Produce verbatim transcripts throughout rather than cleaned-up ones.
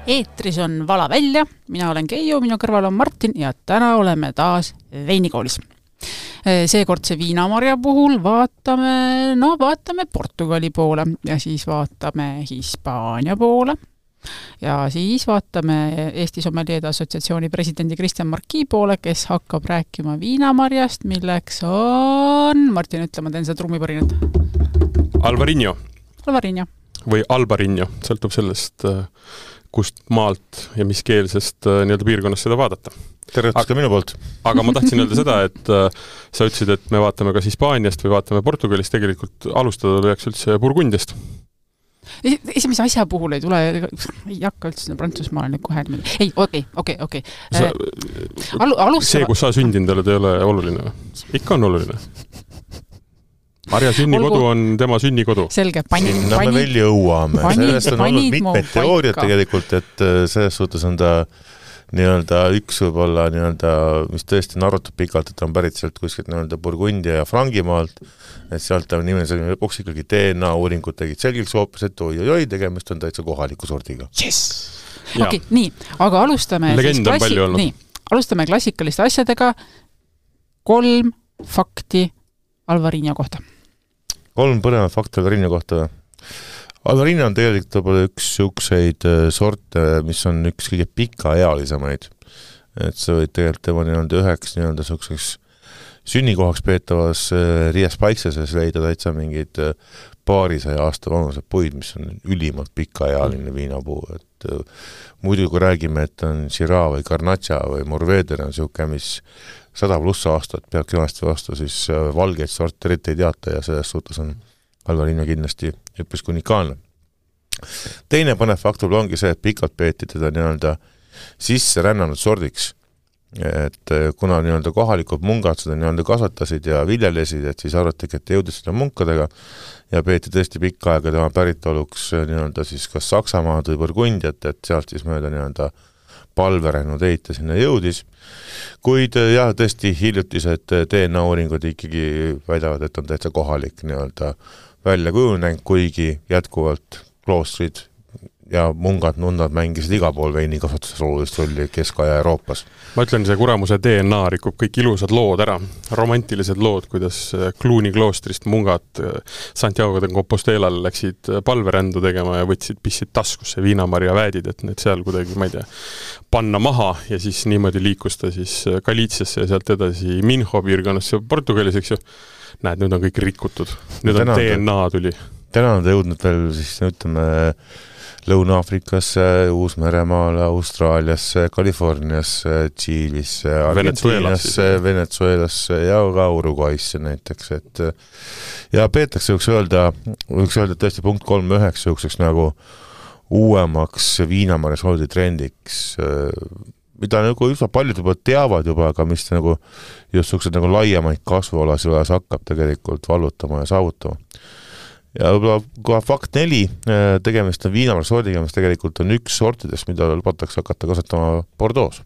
Eetris on Vala välja, mina olen Keijo, minu kõrval on Martin ja täna oleme taas veinikoolis. Seekordse viinamarja puhul vaatame, no vaatame Portugali poole ja siis vaatame Hispaania poole ja siis vaatame Eesti Sommelier Assotsiatsiooni presidendi Kristjan Marki poole, kes hakkab rääkima viinamarjast, milleks on, Martin, ütle, ma teen seda trummipõrinat. Alvarinho. Alvarinho. Või Albarinho, sõltub sellest, kust maalt ja mis keelsest nii-öelda piirkonnast seda vaadata. Tervetus ka minu poolt. Aga ma tahtsin öelda seda, et sa ütlesid, et me vaatame kas Hispaaniast või vaatame Portugalist, tegelikult alustada peaks üldse Burgundiast. Esimese asja puhul ei tule, ei hakka üldse Prantsusmaal nüüd kohe. Ei, okei, okei, okei. See, kus sa sündinud oled, ei ole oluline. Ikka on oluline. Marja sünnikodu Olgu. On tema sünnikodu. Selge, pani, Sinna pani, me veel jõuame. pani, Sellest on olnud mitmed teooriad tegelikult, et selles suhtes on ta nii-öelda üks võib-olla nii-öelda, mis tõesti on arvatud pikalt, et on pärit sealt kuskilt nii-öelda Burgundia ja Frangimaalt, et sealt on nimene selline lõpuks ikkagi D N A uuringud tegid selgiks hoopis, et oi, oi, tegemist on täitsa kohaliku sordiga. Yes! Okei, okay, nii, aga alustame Legend on palju olnud. Nii, alustame klassikaliste asjadega. Kolm fakti Alvarinho kohta. Kolm põnevat fakti Alvarinho kohta. Alvarinho on tegelikult võib-olla üks siukseid sorte, mis on üks kõige pikaealisemaid. Et sa võid tegelikult tema nii-öelda üheks nii-öelda siukseks sünnikohaks peetavas Rias Paikseses leida täitsa mingid paarisaja aasta vanused puid, mis on ülimalt pikaealine viinapuu. Et muidu kui räägime, et on Syrah või Garnacha või Mourvedre on siuke, mis sada pluss aastat peab kenasti vastu, siis valgeid sorte eriti ei teata ja selles suhtes on Alvarinho kindlasti üpris unikaalne. Teine põnev faktor ongi see, et pikalt peeti teda nii-öelda sisse rännanud sordiks. Et kuna nii-öelda kohalikud mungad seda nii-öelda kasvatasid ja viljelesid, et siis arvatigi, et jõudis seda munkadega ja peeti tõesti pikka aega tema päritoluks nii-öelda siis kas Saksamaad või Burgundiat, et sealt siis mööda nii-öelda palveränud eita sinna jõudis. Kuid jah, tõesti hiljutised D N A uuringud ikkagi väidavad, et on täitsa kohalik nii-öelda välja kujunenud, kuigi jätkuvalt kloostrid ja mungad, nunnad mängisid iga pool veini kasvatuses olulist rolli Kesk-Aja Euroopas. Ma ütlen, see kuramuse D N A rikub kõik ilusad lood ära, romantilised lood, kuidas Cluny kloostrist mungad Santiago de Compostelal läksid palverändu tegema ja võtsid pissid taskusse viinamarja väädid, et need seal kuidagi, ma ei tea, panna maha ja siis niimoodi liikus ta siis Galiciasse ja sealt edasi Minho piirkonnasse Portugalis, eks ju. Näed, nüüd on kõik rikutud. Nüüd on D N A tuli. Täna on ta jõudnud veel, siis ütleme, Lõuna-Afrikasse, Uus-Meremaale, Austraaliasse, Kaliforniasse, Tšiilisse, Argentiinasse, Venezuelasse ja ka Uruguaysse näiteks. Et, ja peetakse võiks öelda, võiks öelda tõesti punkt kolm üheksa juhukseks nagu uuemaks viinamarja sordi trendiks, mida nagu üsna paljud juba teavad juba, aga mis nagu just sellised nagu laiemaid kasvualasi hakkab tegelikult vallutama ja saavutama. Ja võib-olla kohe fakt neli, tegemist on viinamarja sordiga, mis tegelikult on üks sortidest, mida lubatakse hakata kasvatama Bordeaux.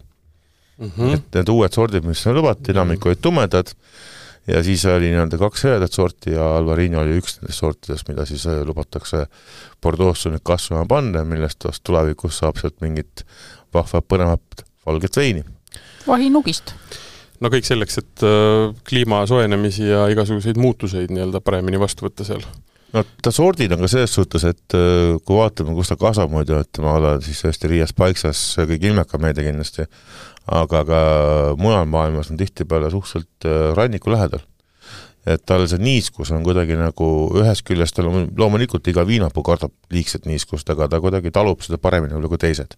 Mm-hmm. Et need uued sordid, mis on lubati, enamik olid tumedad ja siis oli nii-öelda kaks heredat sorti ja Alvarinho oli üks nendest sortidest, mida siis lubatakse Bordeaux nüüd kasvama panna, millest tulevikus saab sealt mingit vahvat põnevat valget veini. Vahinugist. No kõik selleks, et kliima soojenemisi ja igasuguseid muutuseid nii-öelda paremini vastu võtta seal. No ta sordid on ka selles suhtes, et kui vaatame, kus ta kasvab muidu, et ma olen siis tõesti Rias Paiksas kõik ilmeka meede kindlasti, aga ka mujal maailmas on tihti peale suhteliselt ranniku lähedal. Et tal see niiskus on kuidagi nagu ühes küljest, loomulikult iga viinapuu kardab liigset niiskust, aga ta kuidagi talub seda paremini kui teised.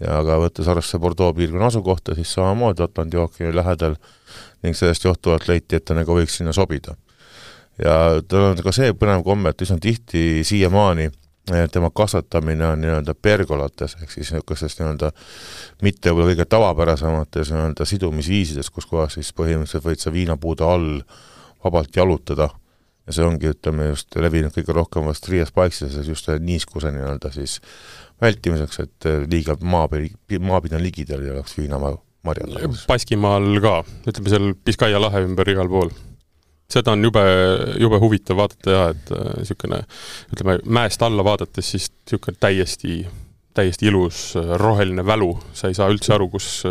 Ja aga võttes arvesse Bordeaux piirkonna asukohta, siis samamoodi Atlandi ookeani lähedal ning sellest johtuvalt leiti, et ta nagu võiks sinna sobida. Ja tal on ka see põnev komme, et üsna tihti siiamaani tema kasvatamine on nii-öelda pergolates, ehk siis niisugustes nii-öelda mitte võib-olla kõige tavapärasemates nii-öelda sidumisviisides, kus kohas siis põhimõtteliselt võid sa viinapuude all vabalt jalutada. Ja see ongi, ütleme, just levinud kõige rohkem vast Rias Paikses, just niiskuse nii-öelda siis vältimiseks, et liiga maapid on ligidel ja oleks viinamarjad. Baskimaal ka, ütleme seal Biskaia lahe ümber igal pool. Seda on jube, jube huvitav vaadata ja, et niisugune, ütleme, mäest alla vaadates siis niisugune täiesti täiesti ilus roheline välu, sa ei saa üldse aru, kus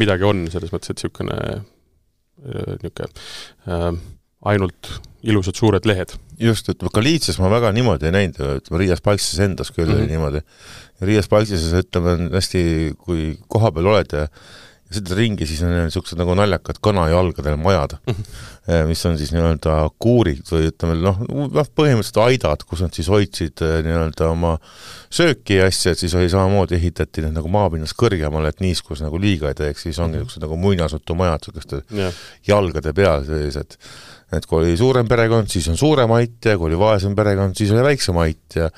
midagi on, selles mõttes, et niisugune niisugune äh, ainult ilusad suured lehed. Just, et Galiitsias ma väga niimoodi ei näinud, ütleme, Riias Palksises endas küll mm -hmm. niimoodi. Ja Riias Palksises, ütleme, hästi, kui koha peal oled ja ja seda ringi, siis on niisugused nagu naljakad kanajalgadel majad, mis on siis nii-öelda kuurid või ütleme, noh, põhimõtteliselt aidad, kus nad siis hoidsid nii-öelda oma sööki ja asja, et siis oli samamoodi ehitati need nagu maapinnast kõrgemale, et niiskus nagu liiga ei teeks, siis ongi niisugused nagu muinasutu majad, niisuguste yeah. jalgade peal sellised. Et kui oli suurem perekond, siis on suurem ait ja kui oli vaesem perekond, siis oli väiksem ait ja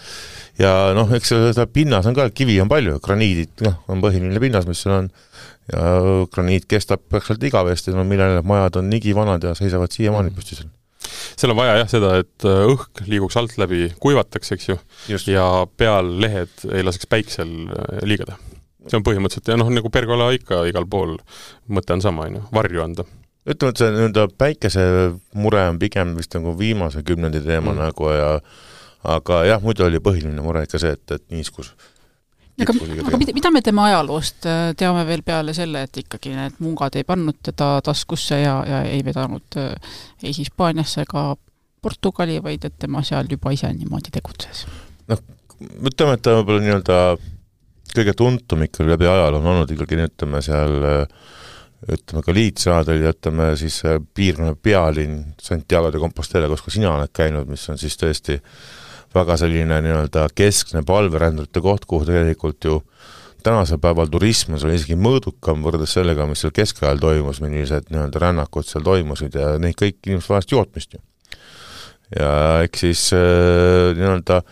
ja noh, eks seda pinnas on ka, kivi on palju, graniidid, noh, on põhiline pinnas, mis seal on ja graniit kestab peakselt igavesti, no millele majad on nigi vanad ja seisavad siiamaani püsti seal. Seal on vaja jah seda, et õhk liiguks alt läbi, kuivatakse, eks ju, Just. ja peal lehed ei laseks päiksel liigada. See on põhimõtteliselt, ja noh, nagu pergola ikka igal pool mõte on sama, varju anda. Ütleme, et see nii-öelda päikese mure on pigem vist nagu viimase kümnendi teema mm. nagu ja aga jah, muidu oli põhiline mure ikka see, et, et niiskus. Aga, aga mida, mida me teeme ajaloost? Teame veel peale selle, et ikkagi need mungad ei pannud teda taskusse ja, ja ei vedanud ei Hispaaniasse ega Portugali, vaid et tema seal juba ise niimoodi tegutses. Noh, ütleme, et ta võib-olla nii-öelda kõige tuntum ikka läbi ajal on olnud ikkagi, ütleme seal ütleme ka liitsaadel ja ütleme siis piirkonna pealinn Santiago de Compostela, kus ka sina oled käinud, mis on siis tõesti väga selline nii-öelda keskne palverändurite koht, kuhu tegelikult ju tänasel päeval turism on isegi mõõdukam võrdes sellega, mis seal keskajal toimus, millised nii-öelda rännakud seal toimusid ja neid kõik inimesed vahest jootmist ju. Ja eks siis nii-öelda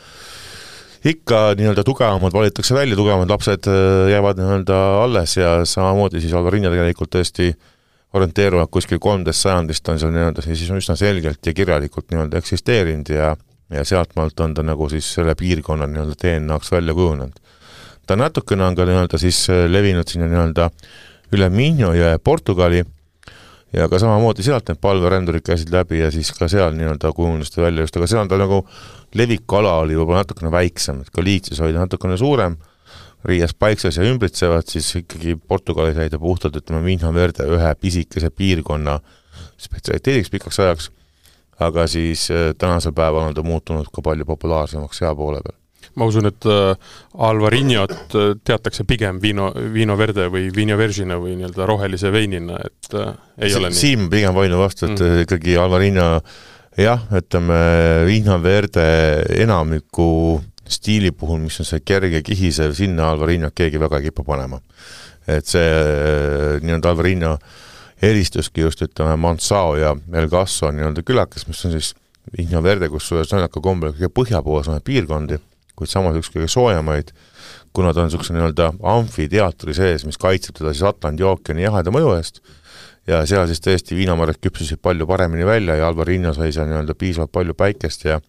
ikka nii-öelda tugevamad valitakse välja, tugevamad lapsed jäävad nii-öelda alles ja samamoodi siis Alvarinja tegelikult tõesti orienteeruvad kuskil kolmteist sajandist on seal nii-öelda siis on üsna selgelt ja kirjalikult nii-öelda eksisteerinud ja ja sealtmaalt on ta nagu siis selle piirkonna nii-öelda D N A-ks välja kujunenud. Ta natukene on ka nii-öelda siis levinud sinna nii-öelda üle Minho jõe Portugali ja ka samamoodi sealt need palverändurid käisid läbi ja siis ka seal nii-öelda kujunesid välja just, aga seal on ta nagu levikala oli võib-olla natukene väiksem, et Galiitsias oli natukene suurem, Riias Paikses ja ümbritsevad, siis ikkagi Portugalis jäid ja puhtalt ütleme Minho Verde ühe pisikese piirkonna spetsialiteediks pikaks ajaks, aga siis tänasel päeval on ta muutunud ka palju populaarsemaks sea poole peal. Ma usun, et Alvarinjat teatakse pigem Vino, Vino Verde või Vino Vergina või nii-öelda rohelise veinina, et ei si ole nii. Siim pigem vainu vastu, et mm. ikkagi Alvarinja, jah, ütleme Vino Verde enamiku stiili puhul, mis on see kerge kihisev, sinna Alvarinjat keegi väga ei kipu panema. Et see nii-öelda Alvarinja eristuski just, ütleme, Mansao ja El Gasso on nii-öelda külakes, mis on siis Vino Verde, kus sõnaka kombel kõige põhjapoolsemaid piirkondi, kuid samas üks kõige soojamaid, kuna ta on niisuguse nii-öelda amfiteatri sees, mis kaitseb teda siis Atlandi ookeani jaheda mõju eest ja seal siis tõesti viinamarjad küpsusid palju paremini välja ja Alvarinja sai seal nii-öelda piisavalt palju päikest ja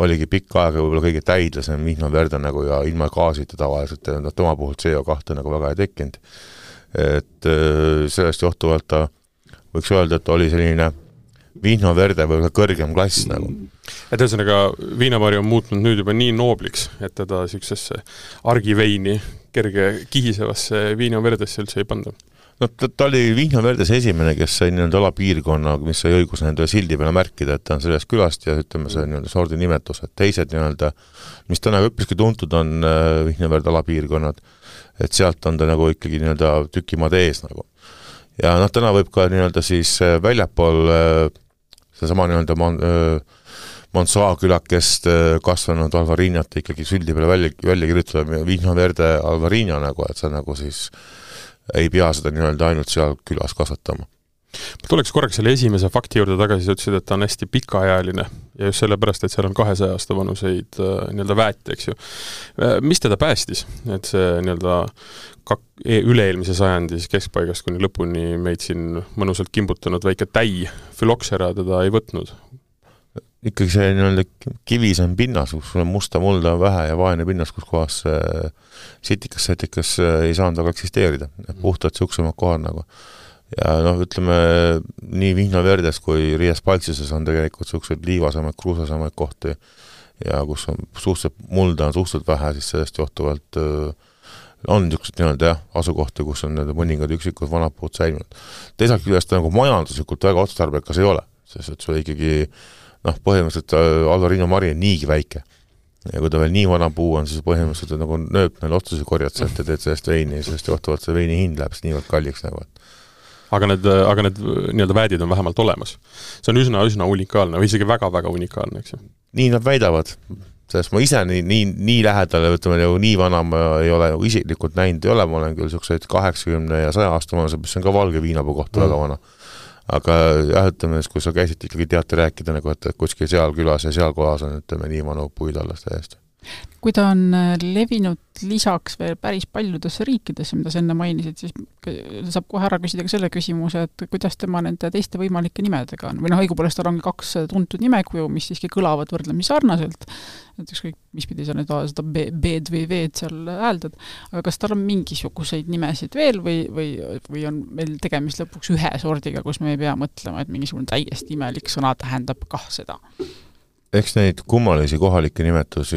oligi pikka aega võib-olla kõige täidlasem Vino Verde nagu ja ilma gaasita tavaliselt ja tema puhul C O kahte nagu väga ei tekkinud. Et sellest johtuvalt ta võiks öelda, et oli selline Vino Verde või kõrgem klass nagu. Et ühesõnaga viinamarju on muutnud nüüd juba nii noobliks, et teda siuksesse argiveini kerge kihisevasse Vino Verdesse üldse ei panda. No ta, ta oli Vino Verdes esimene, kes sai nii-öelda alapiirkonna, mis sai õigus nende sildi peale märkida, et ta on sellest külast ja ütleme see nii-öelda sordi nimetus, et teised nii-öelda, mis täna üpriski tuntud on Vino Verde alapiirkonnad, et sealt on ta nagu ikkagi nii-öelda tükimaad ees nagu. Ja noh, täna võib ka nii-öelda siis väljapool seesama nii-öelda Monsoa külakest kasvanud Alvarinjat ikkagi süldi peale välja, välja kirjutada Vino Verde Alvarinja nagu, et sa nagu siis ei pea seda nii-öelda ainult seal külas kasvatama. Ma tuleks korraks selle esimese fakti juurde tagasi, sa ütlesid, et ta on hästi pikaajaline ja just sellepärast, et seal on kahesaja aasta vanuseid nii-öelda väeti, eks ju. Mis teda päästis? Et see nii-öelda kak- üle-eelmise sajandis keskpaigast kuni lõpuni meid siin mõnusalt kimbutanud väike täi füloksera teda ei võtnud? Ikkagi see nii-öelda kivis on pinnas, kus sul on musta mulda vähe ja vaene pinnas, kus kohas sitikas, setikas ei saanud väga eksisteerida. Puhtad siuksemad kohad nagu. Ja noh, ütleme, nii Vino Verdes kui Riias Palksises on tegelikult siuksed liivasemaid, kruusasemaid kohti ja kus on suhteliselt mulda on suhteliselt vähe, siis sellest johtuvalt öö, on niisugused nii-öelda jah, asukohti, kus on need mõningad üksikud vanad puud säilinud. Teisalt küljest nagu majanduslikult väga otstarbekas ei ole, sest et sul ikkagi noh, põhimõtteliselt Alvarinho Mari on niigi väike. Ja kui ta veel nii vana puu on, siis põhimõtteliselt nagu nööp neil otsusi korjad sealt ja teed sellest veini, sest johtuvalt see veini hind läheb niivõrd kalliks nagu. Aga need, aga need nii-öelda väedid on vähemalt olemas. See on üsna, üsna unikaalne, või isegi väga-väga unikaalne, eks ju? Nii nad väidavad, sest ma ise nii, nii, nii lähedale, ütleme, nagu nii vana ma ei ole nagu isiklikult näinud ei ole, ma olen küll selliseid kaheksakümne ja saja aasta vanused, mis on ka valge viinapuu kohta mm. väga vana. Aga jah, ütleme, kui sa käisid ikkagi teate rääkida, nagu, et kuskil seal külas ja seal kohas on, ütleme, nii vanu puid alles täiesti. Kui ta on levinud lisaks veel päris paljudesse riikidesse, mida sa enne mainisid, siis saab kohe ära küsida ka selle küsimuse, et kuidas tema nende teiste võimalike nimedega on. Või noh, õigupoolest tal ongi kaks tuntud nimekuju, mis siiski kõlavad võrdlemisi sarnaselt. Et ükskõik, mis pidi sa nüüd seda B-d või V-d seal hääldad. Aga kas tal on mingisuguseid nimesid veel või, või, või on meil tegemist lõpuks ühe sordiga, kus me ei pea mõtlema, et mingisugune täiesti imelik sõna tähendab kah seda? Eks neid kummalisi kohalikke nimetusi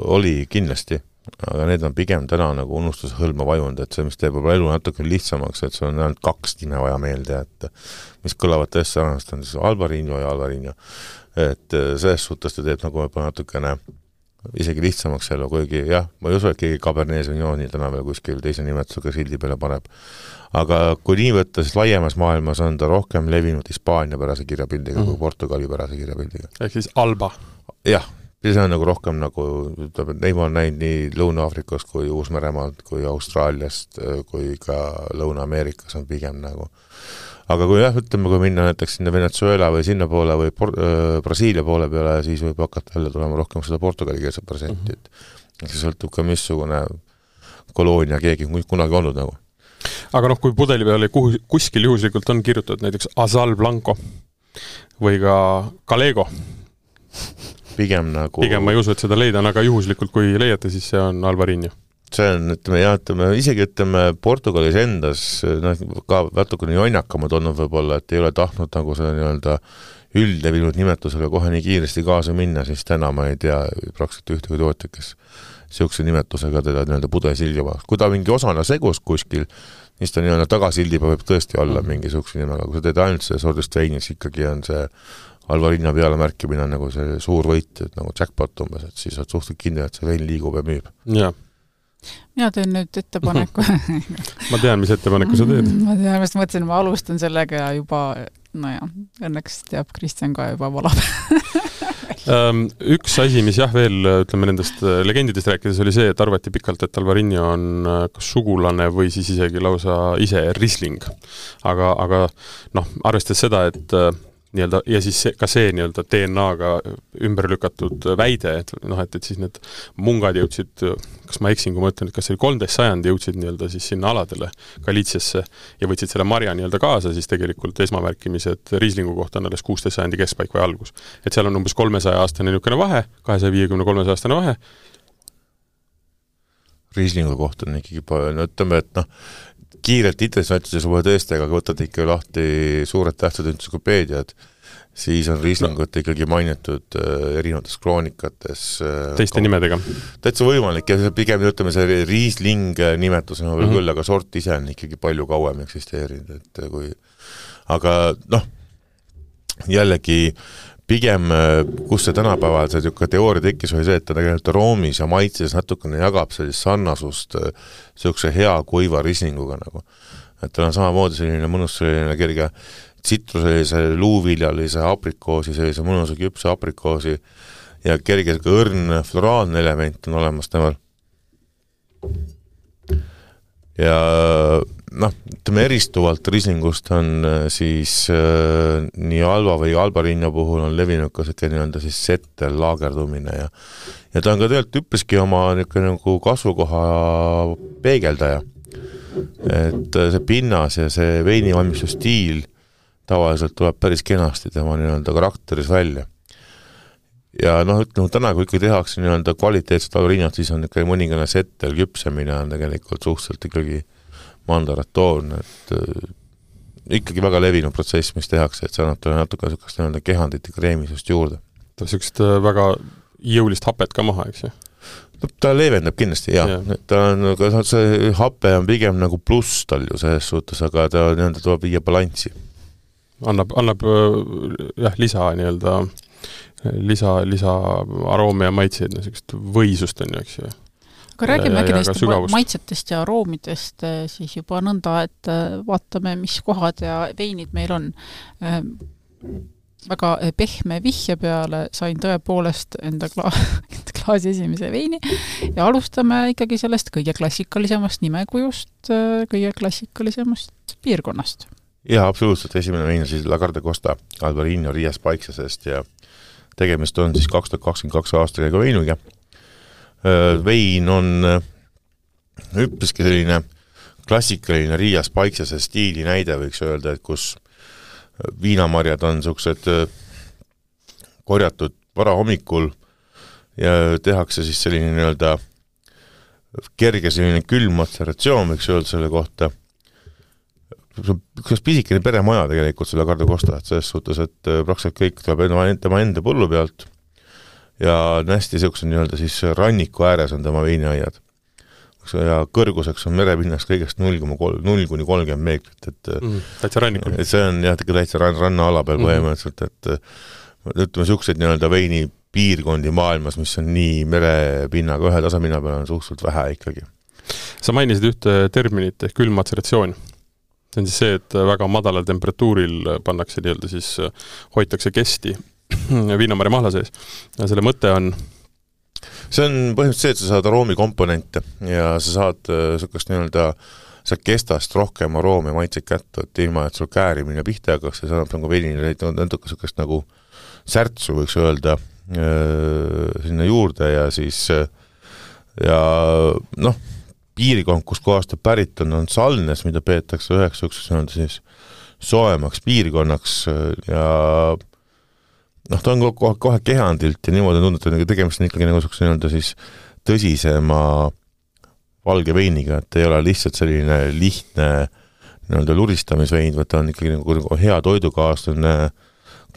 oli kindlasti, aga need on pigem täna nagu unustuse hõlma vajunud, et see, mis teeb elu natuke lihtsamaks, et see on ainult kaks nime vaja meelde, et mis kõlavad tõesti sarnast, on siis Alvarinho ja Alvarinho. Et selles suhtes ta teeb nagu natukene isegi lihtsamaks elu, kuigi jah, ma ei usu, et keegi Cabernet Sauvignoni täna veel kuskil teise nimetusega sildi peale paneb. Aga kui nii võtta, siis laiemas maailmas on ta rohkem levinud Hispaania pärase kirjapildiga mm. kui Portugali pärase kirjapildiga. Ehk siis Alba? Jah, see on nagu rohkem nagu, ütleb, et neid ma olen näinud nii Lõuna-Afrikast kui Uus-Meremaalt kui Austraaliast kui ka Lõuna-Ameerikas on pigem nagu. Aga kui jah, ütleme, kui minna näiteks sinna Venezuela või sinna poole või Por- äh, Brasiilia poole peale, siis võib hakata jälle tulema rohkem seda portugali keelset protsenti. Mm-hmm. See sõltub ka missugune koloonia keegi kunagi olnud nagu. Aga noh, kui pudeli peale kuskil juhuslikult on kirjutatud näiteks Azal Blanco või ka Galego, pigem nagu... Pigem ma ei usu, et seda leida on, aga juhuslikult kui leiate, siis see on Alvarinho. See on, ütleme, jah, ütleme, isegi ütleme Portugalis endas noh, ka vätukene jonnakamad olnud võib-olla, et ei ole tahtnud nagu see nii-öelda üldlevinud nimetusega kohe nii kiiresti kaasa minna, siis täna ma ei tea praktiliselt ühtegi tootja, kes siukse nimetusega teda nii-öelda pudesildi vaja. Kui ta mingi osana segus kuskil, siis ta nii-öelda tagasildi võib tõesti olla mm. mingi siukse nimega. Kui sa teed ainult see sordist veinis, ikkagi on see Alvarinho peale märkimine nagu see suur võit, et nagu jackpot umbes, et siis on suhteliselt kindel, et see vein liigub ja müüb. Jaa. Mina teen nüüd ettepaneku. Ma tean, mis ettepaneku sa teed. Ma tean, ma mõtlesin, ma alustan sellega ja juba, no jah, õnneks teab Kristjan ka juba valab. Üks asi, mis jah veel, ütleme nendest legendidest rääkides, oli see, et arvati pikalt, et Alvarinho on kas sugulane või siis isegi lausa ise Riesling. Aga, aga noh, arvestades seda, et nii-öelda, ja siis see, ka see nii-öelda D N A-ga ümber lükatud väide, et, noh, et, et siis need mungad jõudsid, kas ma eksin, kui ma ütlen, et kas see oli kolmteist sajandi jõudsid nii-öelda siis sinna aladele Galiitsiasse ja võtsid selle marja nii-öelda kaasa, siis tegelikult esmamärkimised Rieslingu kohta on alles kuusteist sajandi keskpaik või algus. Et seal on umbes kolmesaja aastane niisugune vahe, kahesaja viiekümne kolmesaja aastane vahe. Rieslingu kohta on ikkagi palju, ütleme, et noh, kiirelt internetis juba tõesti, aga võtad ikka lahti suured tähtsad entsüklopeediad, siis on Rieslingut no. ikkagi mainitud erinevates kroonikates. Teiste nimedega. Täitsa võimalik ja pigem ütleme see Riesling nimetus on mm-hmm. küll, aga sort ise on ikkagi palju kauem eksisteerinud. Et kui... Aga noh, jällegi pigem, kus see tänapäeval see teooria tekkis, oli see, et ta tegelikult roomis ja maitses natukene jagab sellist sarnasust sellise hea kuiva Rieslinguga nagu. Et tal on samamoodi selline mõnus selline kerge tsitruselise luuviljalise aprikoosi, sellise mõnusa küpse aprikoosi ja kerge õrn floraalne element on olemas temal. Ja noh, ütleme eristuvalt Rieslingust on siis äh, nii Alva või Alvarinho puhul on levinud ka see nii-öelda siis settel laagerdumine ja, ja ta on ka tegelikult üpriski oma nagu kasvukoha peegeldaja. Et see pinnas ja see veinivalmistuse stiil tavaliselt tuleb päris kenasti tema nii-öelda karakteris välja. Ja noh, ütleme, täna kui ikka tehakse nii-öelda kvaliteetset Alvarinhot, siis on ikka mõningane settel küpsemine on tegelikult suhteliselt ikkagi mandaratoon, et äh, ikkagi väga levinud protsess, mis tehakse, et see annab talle natuke niisugust nii-öelda kehandit ja kreemisust juurde. Ta niisugust väga jõulist hapet ka maha, eks ju? No, ta leevendab kindlasti, jah. Ja. Ta on, see hape on pigem nagu pluss tal ju selles suhtes, aga ta nii-öelda tuleb viia balanssi. Annab, annab jah, lisa nii-öelda, lisa, lisa aroomi ja maitseid, niisugust võisust on ju, eks ju. Aga räägime äkki neist maitsetest ja aroomidest siis juba nõnda, et vaatame, mis kohad ja veinid meil on. Väga pehme vihje peale sain tõepoolest enda, kla- enda klaasi esimese veini ja alustame ikkagi sellest kõige klassikalisemast nimekujust, kõige klassikalisemast piirkonnast. Jaa, absoluutselt. Esimene vein on siis La Garde Costa Albarino Rias Paiksasest ja tegemist on siis kaks tuhat kakskümmend kaks aastaga veinuga. Vein on üpriski selline klassikaline Rias Paiksase stiili näide, võiks öelda, et kus viinamarjad on sellised korjatud vara hommikul ja tehakse siis selline nii-öelda kerge selline külm matseratsioon, võiks öelda selle kohta. Üks pisikene peremaja tegelikult selle Garde Costa, et selles suhtes, et praktiliselt kõik tuleb tema enda põllu pealt ja hästi selline nii-öelda siis ranniku ääres on tema veiniaiad. Ja kõrguseks on merepinnaks kõigest null kuni kolmkümmend meetrit, et, mm, täitsa rannikul. Et see on jah, täitsa ranna ala peal põhimõtteliselt, et ütleme sellised nii-öelda veini piirkondi maailmas, mis on nii merepinnaga ühe tasemina peal on suhteliselt vähe ikkagi. Sa mainisid ühte terminit ehk külmmatseratsioon. See on siis see, et väga madalal temperatuuril pannakse nii-öelda siis, hoitakse kesti viinamarja mahla sees. Ja selle mõte on see on põhimõtteliselt see, et sa saad aroomikomponente ja sa saad sellist nii-öelda sa kestast rohkem aroomi maitseid kätte, et ilma, et sul käärimine pihta hakkaks ja saab nagu veinile natuke sellist nagu särtsu, võiks öelda, sinna juurde ja siis ja noh, piirkond, kus kohast ta pärit on, on Salnes, mida peetakse üheks selleks siis soemaks piirkonnaks ja noh, ta on kohe, kohe kehandilt ja niimoodi on tundnud, et tegemist on ikkagi nagu nii-öelda siis tõsisema valge veiniga, et ei ole lihtsalt selline lihtne nii-öelda luristamisvein, vaid ta on ikkagi nagu, nagu hea toidukaaslane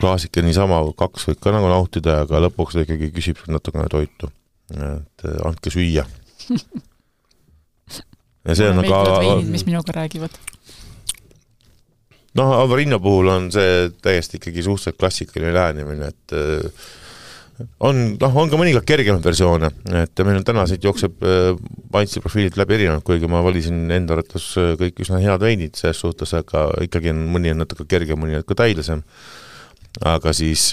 klaasika niisama kaks võib ka nagu nautida, aga lõpuks ta ikkagi küsib natukene toitu. Et andke süüa. Ja see on aga veinid, mis minuga räägivad. Noh, Albarino puhul on see täiesti ikkagi suhteliselt klassikaline lähenemine, et on, noh, on ka mõnikord kergemad versioone, et meil on täna siit jookseb maitseprofiilid läbi erinevad, kuigi ma valisin enda arvates kõik üsna head veinid selles suhtes, aga ikkagi on mõni on natuke kerge, mõni on ka täilisem. Aga siis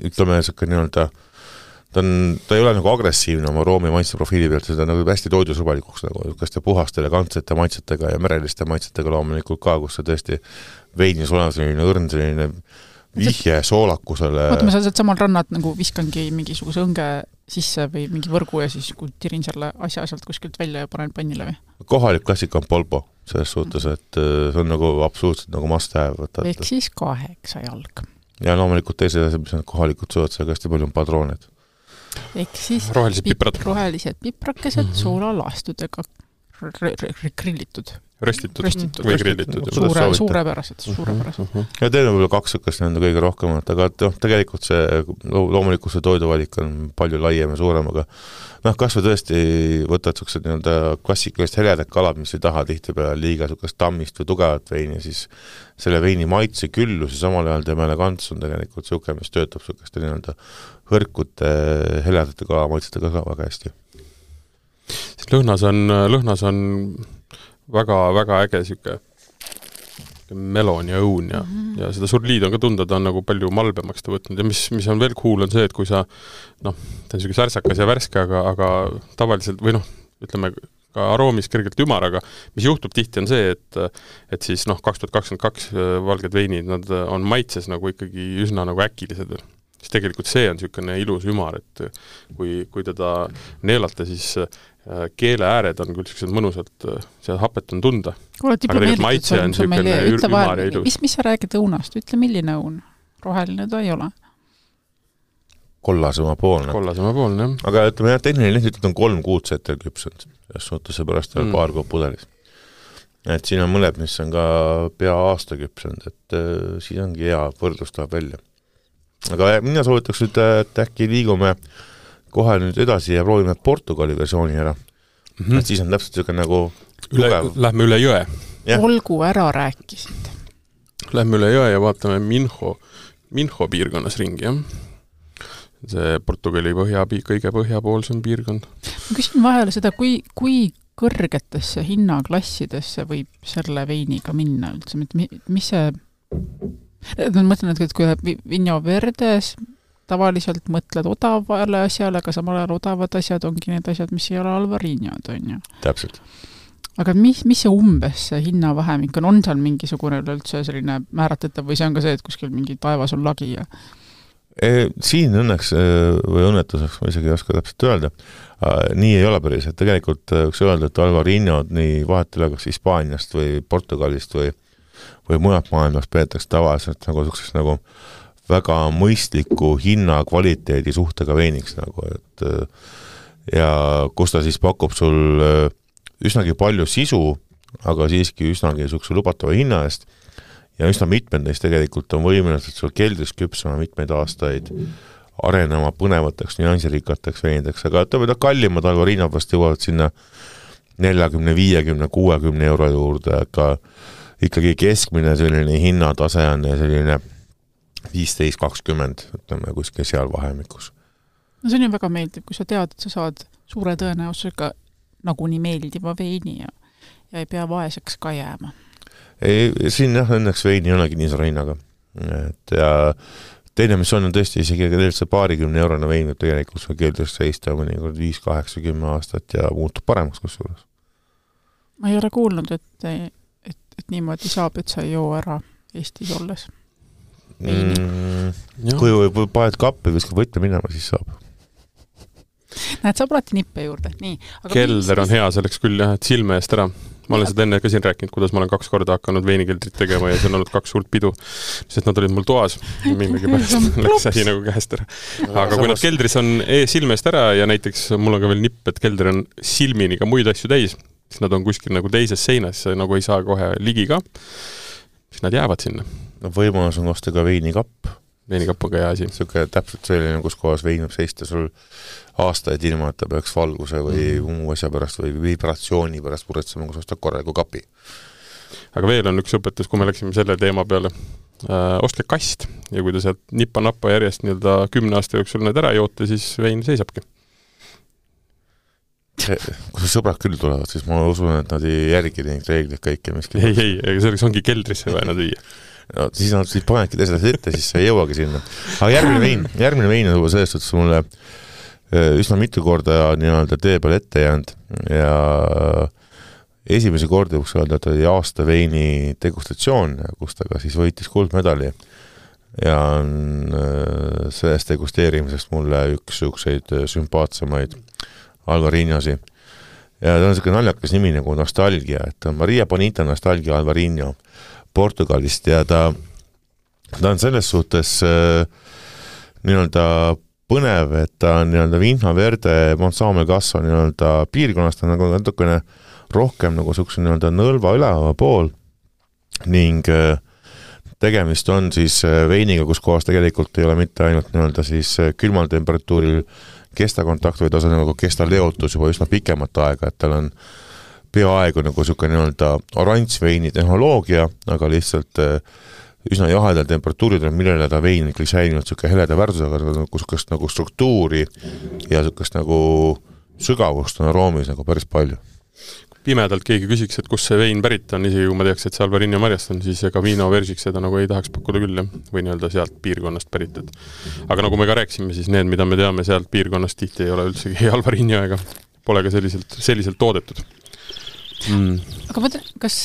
ütleme, see nii-öelda ta, on, ta ei ole nagu agressiivne oma roomi maitseprofiili pealt, seda nagu hästi toidusõbalikuks nagu kaste puhaste elegantsete maitsetega ja mereliste maitsetega loomulikult ka, kus see tõesti veinis olev selline õrn, selline vihje soolakusele. Vaata, ma sealt samal rannat nagu viskangi mingisuguse õnge sisse või mingi võrgu ja siis kui tirin selle asja sealt kuskilt välja ja panen pannile või? Kohalik klassika on polpo, selles suhtes, et see on nagu absoluutselt nagu must have. Ehk siis kaheksa jalg. Ja loomulikult teise asja, mis on kohalikud sööd, seal hästi palju on padrooned. Ehk siis rohelised piprad. Rohelised piprakesed mm -hmm. soolalaastudega grillitud. Röstitud, röstitud või grillitud. Suure, suurepärased, suurepärased. Mm -hmm. Ja teine võib-olla kaks õkkest nende kõige rohkemat, aga noh, tegelikult see loomulikult see toiduvalik on palju laiem ja suurem, aga noh, kas või tõesti võtad sellised nii-öelda klassikalist heledad kalad, mis ei taha tihti peale liiga sellist tammist või tugevat veini, siis selle veini maitse küllus ja samal ajal tema elegants on tegelikult selline, mis töötab selliste nii-öelda hõrkute heledate kalamaitsetega ka väga hästi. Lõhnas on, lõhnas on väga, väga äge siuke melon ja õun ja, mm -hmm. ja seda surliid on ka tunda, ta on nagu palju malbemaks ta võtnud ja mis, mis on veel cool on see, et kui sa noh, ta on siuke särsakas ja värske, aga, aga tavaliselt või noh, ütleme ka aroomis kergelt ümar, aga mis juhtub tihti on see, et, et siis noh, kaks tuhat kakskümmend kaks valged veinid, nad on maitses nagu ikkagi üsna nagu äkilised. Siis tegelikult see on siukene ilus ümar, et kui, kui teda neelata, siis keele ääred on küll sellised mõnusalt, see hapet on tunda. Kuule, aga tegelikult maitse on siukene ümar ja ilus. Mis, mis sa räägid õunast? Ütle, milline õun? Roheline ta ei ole. Kollasema poolne. Kollasema poolne, jah. Aga ütleme, jah, tehniline lihtsalt on kolm kuud setel küpsanud. Selles suhtes see pärast mm. paar kuud pudelis. Et siin on mõned, mis on ka pea aasta küpsanud, et äh, siis ongi hea võrdlus tuleb välja. aga mina soovitaks nüüd, et äkki liigume kohe nüüd edasi ja proovime Portugali versiooni ära. Mm-hmm. Et siis on täpselt selline nagu üle, lähme üle jõe. Ja. Olgu ära rääkisid. Lähme üle jõe ja vaatame Minho, Minho piirkonnas ringi, jah. See Portugali põhja, kõige põhjapoolsem piirkond. Ma küsin vahele seda, kui, kui kõrgetesse hinnaklassidesse võib selle veiniga minna üldse, mis see ma mõtlen, et kui Vinho Verdes tavaliselt mõtled odavale asjale, aga samal ajal odavad asjad ongi need asjad, mis ei ole Alvarinhod, on ju. Täpselt. Aga mis, mis see umbes see hinnavahemik on? On seal mingisugune üldse selline määratletav või see on ka see, et kuskil mingi taevas on lagi? Ja... E, siin õnneks või õnnetuseks ma isegi ei oska täpselt öelda. Nii ei ole päris, et tegelikult võiks öelda, et Alvarinhod nii vahetele kas Hispaaniast või Portugalist või, või mujalt maailmast peetakse tavaliselt nagu selliseks nagu väga mõistliku hinna kvaliteedi suhtega veiniks nagu, et ja kus ta siis pakub sul üsnagi palju sisu, aga siiski üsnagi sukse lubatava hinna eest ja üsna mitmed neist tegelikult on võimelised sul keldris küpsama mitmeid aastaid arenema põnevateks, nüansirikateks veinideks, aga tõmeda kallimad Alvarinhod vast jõuavad sinna neljakümne, viiekümne, kuuekümne euro juurde, aga ikkagi keskmine selline hinnatase on selline viisteist kakskümmend, ütleme kuskil seal vahemikus. No see on ju väga meeldiv, kui sa tead, et sa saad suure tõenäosusega nagunii meeldiva veini ja, ja ei pea vaeseks ka jääma. Ei, siin jah, õnneks veini ei olegi nii suure hinnaga. Et ja teine, mis on, on tõesti isegi see paarikümne eurone vein, et tegelikult see keeldres seista mõnikord viis kaheksa kümme aastat ja muutub paremaks kusjuures. Ma ei ole kuulnud, et, et, et niimoodi saab, et sa ei joo ära Eestis olles. Mm, kui või paed kappi viskab võtta minema, siis saab. Näed, saab alati nippe juurde. Nii, aga Kelder on hea selleks küll jah, et silme eest ära. Ma olen seda enne ka siin rääkinud, kuidas ma olen kaks korda hakanud veinikeldrit tegema ja see on olnud kaks suurt pidu, sest nad olid mul toas. Millegi pärast läks asi nagu käest ära. Aga kui nad keldris on silme eest ära ja näiteks mul on ka veel nipp, et kelder on silmini ka muid asju täis, siis nad on kuskil nagu teises seinas, nagu ei saa kohe ligi ka, siis nad jäävad sinna. No võimalus on osta ka veinikapp. Veinikapp on ka hea asi. Selline täpselt selline, kus kohas vein võib seista sul aastaid ilma, et ta peaks valguse või mm. muu asja pärast või vibratsiooni pärast puretsema, kus osta korraliku kapi. Aga veel on üks õpetus, kui me läksime selle teema peale. Äh, ostke kast ja kui ta sealt nippa-nappa järjest nii-öelda kümne aasta jooksul need ära joote, siis vein seisabki. Kui sõbrad küll tulevad, siis ma usun, et nad ei järgi neid reeglid kõike. Ei, ei, ei, selleks ongi keldrisse vaja nad viia. No, siis nad siis panedki teisele ette, siis sa ei jõuagi sinna. Aga järgmine vein, järgmine vein on juba sellest, et mulle üsna mitu korda nii-öelda tee peal ette jäänud ja esimese korda võiks öelda, et oli aasta veini degustatsioon, kus ta ka siis võitis kuldmedali ja on sellest degusteerimisest mulle üks sükseid sümpaatsemaid Alvarinhosi. Ja ta on selline naljakas nimi nagu Nostalgia, et on Maria Bonita Nostalgia Alvarinho Portugalist ja ta, ta on selles suhtes äh, nii-öelda põnev, et ta on nii-öelda Vinho Verde Montsamo Gasso nii-öelda piirkonnast, ta on nagu natukene rohkem nagu sukse nii-öelda nõlva üleva pool ning äh, tegemist on siis veiniga, kus kohas tegelikult ei ole mitte ainult nii-öelda siis külmal temperatuuril kestakontakt, või ta on nagu kestaleotus juba üsna pikemat aega, et tal on peaaegu nagu selline nii-öelda oranžveini tehnoloogia, aga lihtsalt üsna jahedal temperatuuridel, millele ta vein ikkagi säilinud selline heleda värdusega, nagu selline nagu struktuuri ja selline nagu sügavust on aroomis nagu päris palju. Pimedalt keegi küsiks, et kus see vein pärit on, isegi kui ma teaks, et see Alvarinho marjast on, siis ega Vino Versiks seda nagu ei tahaks pakkuda küll, või nii-öelda sealt piirkonnast pärit. Aga nagu me ka rääksime, siis need, mida me teame sealt piirkonnast, tihti ei ole üldsegi Alvarinho ega pole ka selliselt, selliselt toodetud. Mm. Aga mõtle, kas,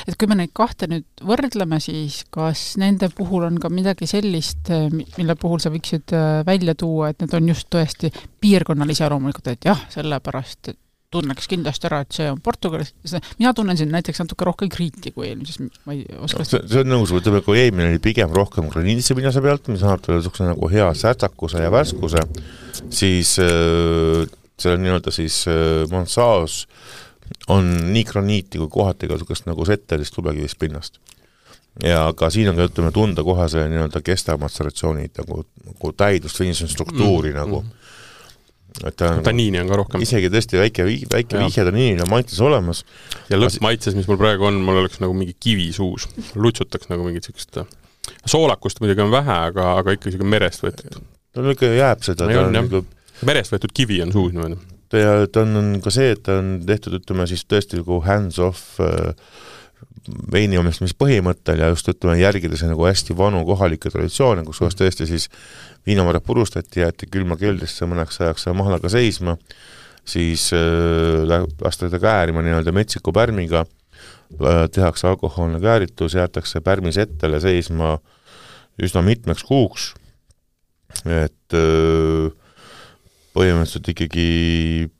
et kui me neid kahte nüüd võrdleme, siis kas nende puhul on ka midagi sellist, mille puhul sa võiksid välja tuua, et need on just tõesti piirkonnalise aroomulikult, et jah, sellepärast tunneks kindlasti ära, et see on Portugalis. Mina tunnen siin näiteks natuke rohkem kriiti kui eelmises. Ma ei oska... see, see on nõus, võtame, kui eelmine oli pigem rohkem graniitse pinnase pealt, mis annab talle suhkse nagu hea särtsakuse ja värskuse, siis äh, selle nii-öelda siis äh, Monsaos on nii graniiti kui kohati ka sukast nagu settelist lubekivist pinnast. ja ka siin on ka ütleme tunda kohe see nii-öelda kestav matseratsioonid nagu, nagu täidust või struktuuri mm, nagu mm. Et ta on, taniini on ka rohkem. Isegi tõesti väike, väike vihje taniini on maitses olemas. Ja lõppmaitses, mis mul praegu on, mul oleks nagu mingi kivi suus. Lutsutaks nagu mingit sellist soolakust muidugi on vähe, aga, aga ikka selline merest võetud. Ta on ikka jääb seda. Ta on, nagu... Merest võetud kivi on suus niimoodi. Ja ta on ka see, et ta on tehtud, ütleme siis tõesti nagu hands-off veini omistmis põhimõttel ja just ütleme järgides nagu hästi vanu kohalikke traditsioone, kus mm. tõesti siis viinamarjad purustati, jäeti külma keldrisse mõneks ajaks mahlaga seisma, siis äh, lastakse käärima nii-öelda metsiku pärmiga, tehakse alkohoolne kääritus, jäetakse pärmis ettele seisma üsna mitmeks kuuks, et äh, põhimõtteliselt ikkagi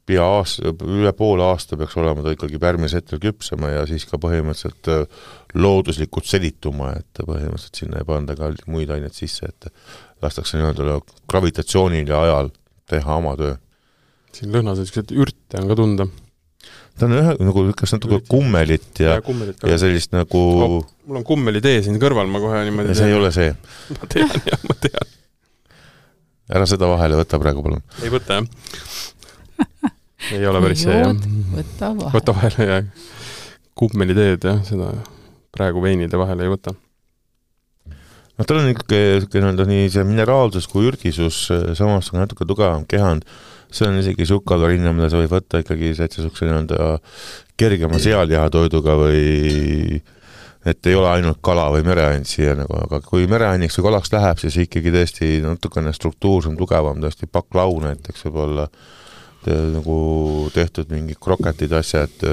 pea aasta, üle poole aasta peaks olema ta ikkagi pärmis hetkel küpsema ja siis ka põhimõtteliselt looduslikult selituma, et põhimõtteliselt sinna ei panda ka muid aineid sisse, et lastakse nii-öelda gravitatsioonil ja ajal teha oma töö. Siin lõhnas sellised ürte on ka tunda. Ta on ühe, nagu kas natuke kummelit ja, ja, kummelit ja sellist nagu... Oh, mul on kummeli tee siin kõrval, ma kohe niimoodi... Ja see ei ole see. Ma tean, jah, ma tean. Ära seda vahele võtta praegu, palun. Ei võta, jah. Ei ole päris see, jah. Võta vahele. Võta vahele, jah. Kummeli teed, jah, seda praegu veinide vahele ei võta. No tal on ikkagi nii see mineraalsus kui ürgisus, samas on natuke tugevam kehand. See on isegi sukkagarinna, mida sa võib võtta ikkagi sukse nii-öelda kergema sealiahatoiduga või... et ei ole ainult kala või mereain siia, nagu, aga kui mereainiks või kalaks läheb, siis ikkagi tõesti natukene struktuursem, tugevam, tõesti paklau näiteks võib olla te, nagu tehtud mingi kroketid asjad,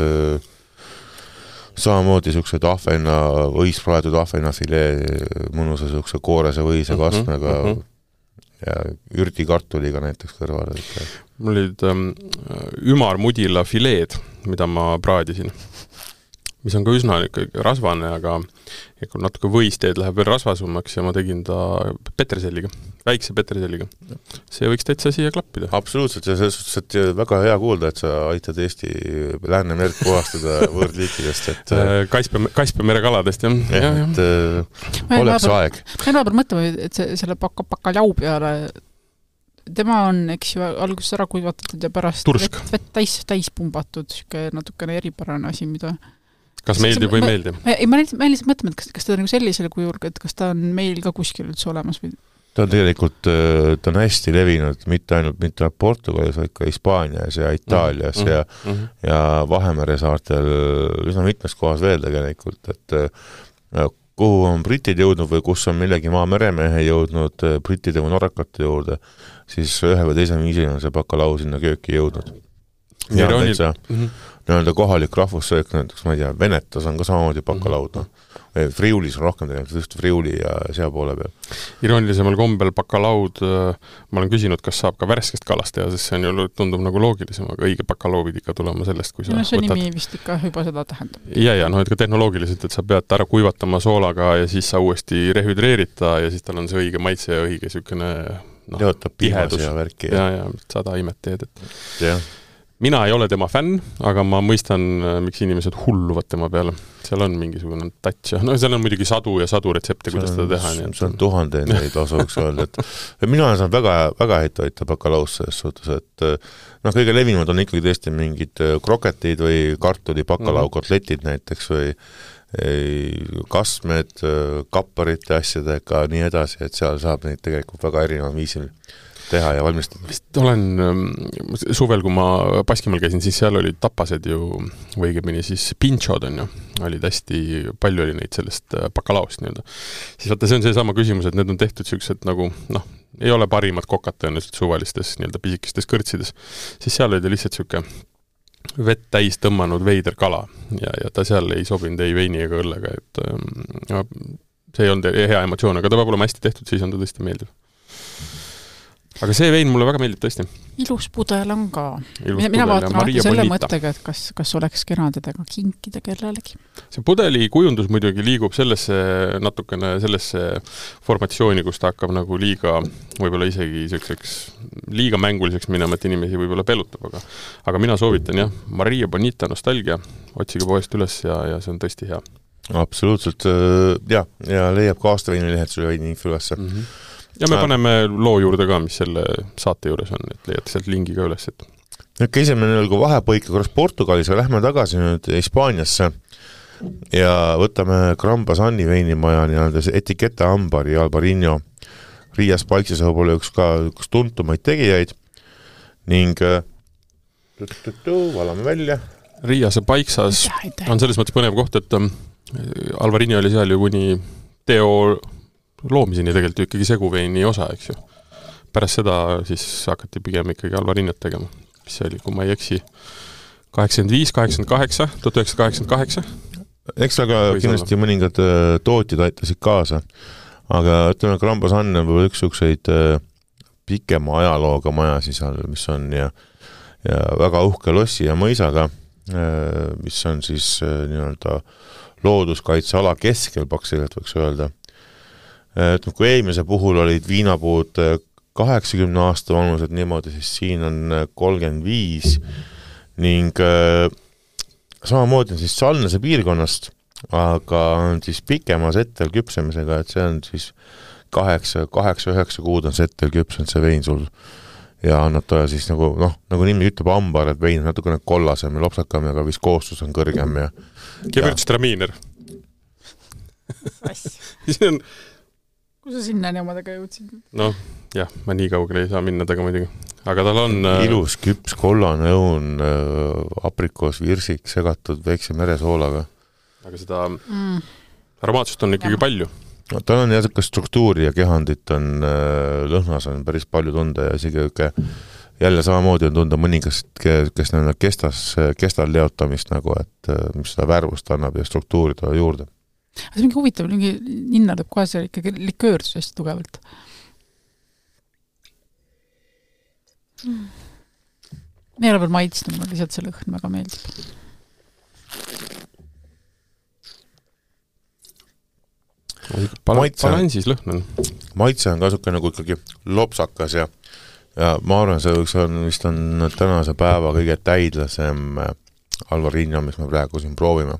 samamoodi niisugused ahvena, võispraetud ahvenafilee, mõnusa niisuguse koorese võise kastmega uh -huh, uh -huh. ja ürdikartuliga näiteks kõrval. Mul olid ähm, ümarmudila fileed, mida ma praadisin, mis on ka üsna rasvane, aga natuke võisteed läheb veel rasvasumaks ja ma tegin ta petreselliga, väikse petreselliga. See võiks täitsa siia klappida. Absoluutselt, ja selles suhtes, et väga hea kuulda, et sa aitad Eesti Läänemerd puhastada võõrdliikidest. Et... Kaspia, Kaspia merekaladest, jah. Ja, ja, et äh, oleks naaber, aeg. Ma naaber mõtlema, et see, selle paka, pakaljau peale, tema on, eks ju, alguses ära kuivatatud ja pärast Tursk. vett, vett täis, täis pumbatud, natukene eripärane asi, mida... Kas meeldib või meeldib? Ei, ma lihtsalt mõtlen, et kas, kas ta on nagu sellisele kujul, et kas ta on meil ka kuskil üldse olemas või? Ta on tegelikult, ta on hästi levinud, mitte ainult mitte Portugalis, vaid ka Hispaanias ja Itaalias mm -hmm. ja, mm -hmm. ja Vahemere saartel üsna mitmes kohas veel tegelikult, et kuhu on britid jõudnud või kus on millegi maa meremehe jõudnud brittide või norrakate juurde, siis ühe või teise viisil on see bakalau sinna kööki jõudnud. Ja on täitsa mm -hmm. nii-öelda kohalik rahvussöök, näiteks, ma ei tea, Venetas on ka samamoodi bakalaud, noh. Friulis on rohkem tegelikult, just Friuli ja sea poole peal. Iroonilisemal kombel bakalaud, ma olen küsinud, kas saab ka värskest kalast teha, sest see on ju, tundub nagu loogilisem, aga õige bakalaud ikka tulema sellest, kui sa no, see võtad... nimi vist ikka juba seda tähendab. Ja, ja, no et ka tehnoloogiliselt, et sa pead ära kuivatama soolaga ja siis sa uuesti rehüdreerita ja siis tal on see õige maitse ja õige niisugune no, tihedus ja värki. Ja, ja, sada imet teed. Et... jah. Mina ei ole tema fänn, aga ma mõistan, miks inimesed hulluvad tema peale. Seal on mingisugune touch. No seal on muidugi sadu ja sadu retsepte, kuidas seda teha. See on, see on tuhandeid neid osuks öelda. Et mina olen saanud väga, väga häid toita bakalaus selles suhtes, et noh, kõige levimad on ikkagi tõesti mingid kroketid või kartuli bakalau kotletid näiteks või kastmed, kapparite asjadega, nii edasi, et seal saab neid tegelikult väga erineva viisil teha ja valmistada. Vist olen suvel, kui ma Baskimaal käisin, siis seal olid tapased ju, või õigemini siis pinchod on ju, olid hästi, palju oli neid sellest bakalaost nii-öelda. Siis vaata, see on see sama küsimus, et need on tehtud sellised nagu, noh, ei ole parimad kokad tõenäoliselt suvalistes nii-öelda pisikestes kõrtsides, siis seal oli lihtsalt selline vett täis tõmmanud veider kala ja, ja ta seal ei sobinud ei veini ega õllega, et ja, see ei olnud hea emotsioon, aga ta peab olema hästi tehtud, siis on ta tõesti meeldiv. Aga see vein mulle väga meeldib tõesti. Ilus pudel on ka. Ilus mina vaatan alati selle mõttega, et kas, kas oleks kena tedega kinkida kellelegi. See pudeli kujundus muidugi liigub sellesse natukene sellesse formatsiooni, kus ta hakkab nagu liiga, võib-olla isegi selliseks liiga mänguliseks minema, et inimesi võib-olla pelutab, aga, aga mina soovitan jah, Maria Bonita nostalgia, otsige poest üles ja, ja see on tõesti hea. absoluutselt, jah, ja leiab ka aastaveinilehed sulle veini info ülesse. Mm -hmm. Ja me paneme loo juurde ka, mis selle saate juures on, et leiate sealt lingi ka üles. Et... nüüd käisime nagu vahepõika korras Portugalis, aga lähme tagasi nüüd Hispaaniasse ja võtame Gran Basani veinimaja nii-öelda Etiqueta Ambari Albarino Riias Paikses võib-olla üks ka üks tuntumaid tegijaid ning valame välja. Riiase Paiksas on selles mõttes põnev koht, et Albarino oli seal ju kuni teo loomiseni tegelikult ju ikkagi seguveini osa, eks ju. Pärast seda siis hakati pigem ikkagi Albarinot tegema, mis oli, kui ma ei eksi, kaheksakümmend viis, kaheksakümmend kaheksa, tuhat üheksasada kaheksakümmend kaheksa. Eks aga kindlasti mõningad tootjad aitasid kaasa, aga ütleme, Gran Basan on võib-olla üks sukseid pikema ajalooga maja siis all, mis on ja, ja väga uhke lossi ja mõisaga, mis on siis nii-öelda looduskaitseala keskel paksiliselt võiks öelda. Et kui eelmise puhul olid viinapuud kaheksakümne aasta vanused niimoodi, siis siin on kolmkümmend viis ning samamoodi on siis Salnase piirkonnast, aga on siis pikema settel küpsemisega, et see on siis kaheksa, kaheksa, üheksa kuud on settel küpsenud see vein sul ja annab toja siis nagu, noh, nagu nimi ütleb ambar, et vein on natukene kollasem ja lopsakam, aga vist koostus on kõrgem ja Gewürztraminer. Siin on kus sa sinna omadega jõudsid? Noh, jah, ma nii kaugele ei saa minna taga muidugi. Aga tal on... ilus küps, kollane õun, aprikoos, virsik, segatud väikse meresoolaga. Aga seda mm. aromaatsust on ikkagi ja. palju. No, tal on jäsuka struktuuri ja kehandit on lõhnas on päris palju tunda ja isegi üke, jälle samamoodi on tunda mõningast, kes nende kestas, kestal leotamist nagu, et mis seda värvust annab ja struktuuri ta juurde. See on mingi huvitav, mingi ninna tõb kohe see ikkagi liköördus hästi tugevalt. Mm. Me ei ole veel maitsnud, ma lihtsalt see lõhn väga meeldib. Balansis lõhn on. Maitse on kasuke nagu ikkagi lopsakas ja, ja ma arvan, see võiks on, vist on tänase päeva kõige täidlasem Albarino, mis me praegu siin proovime.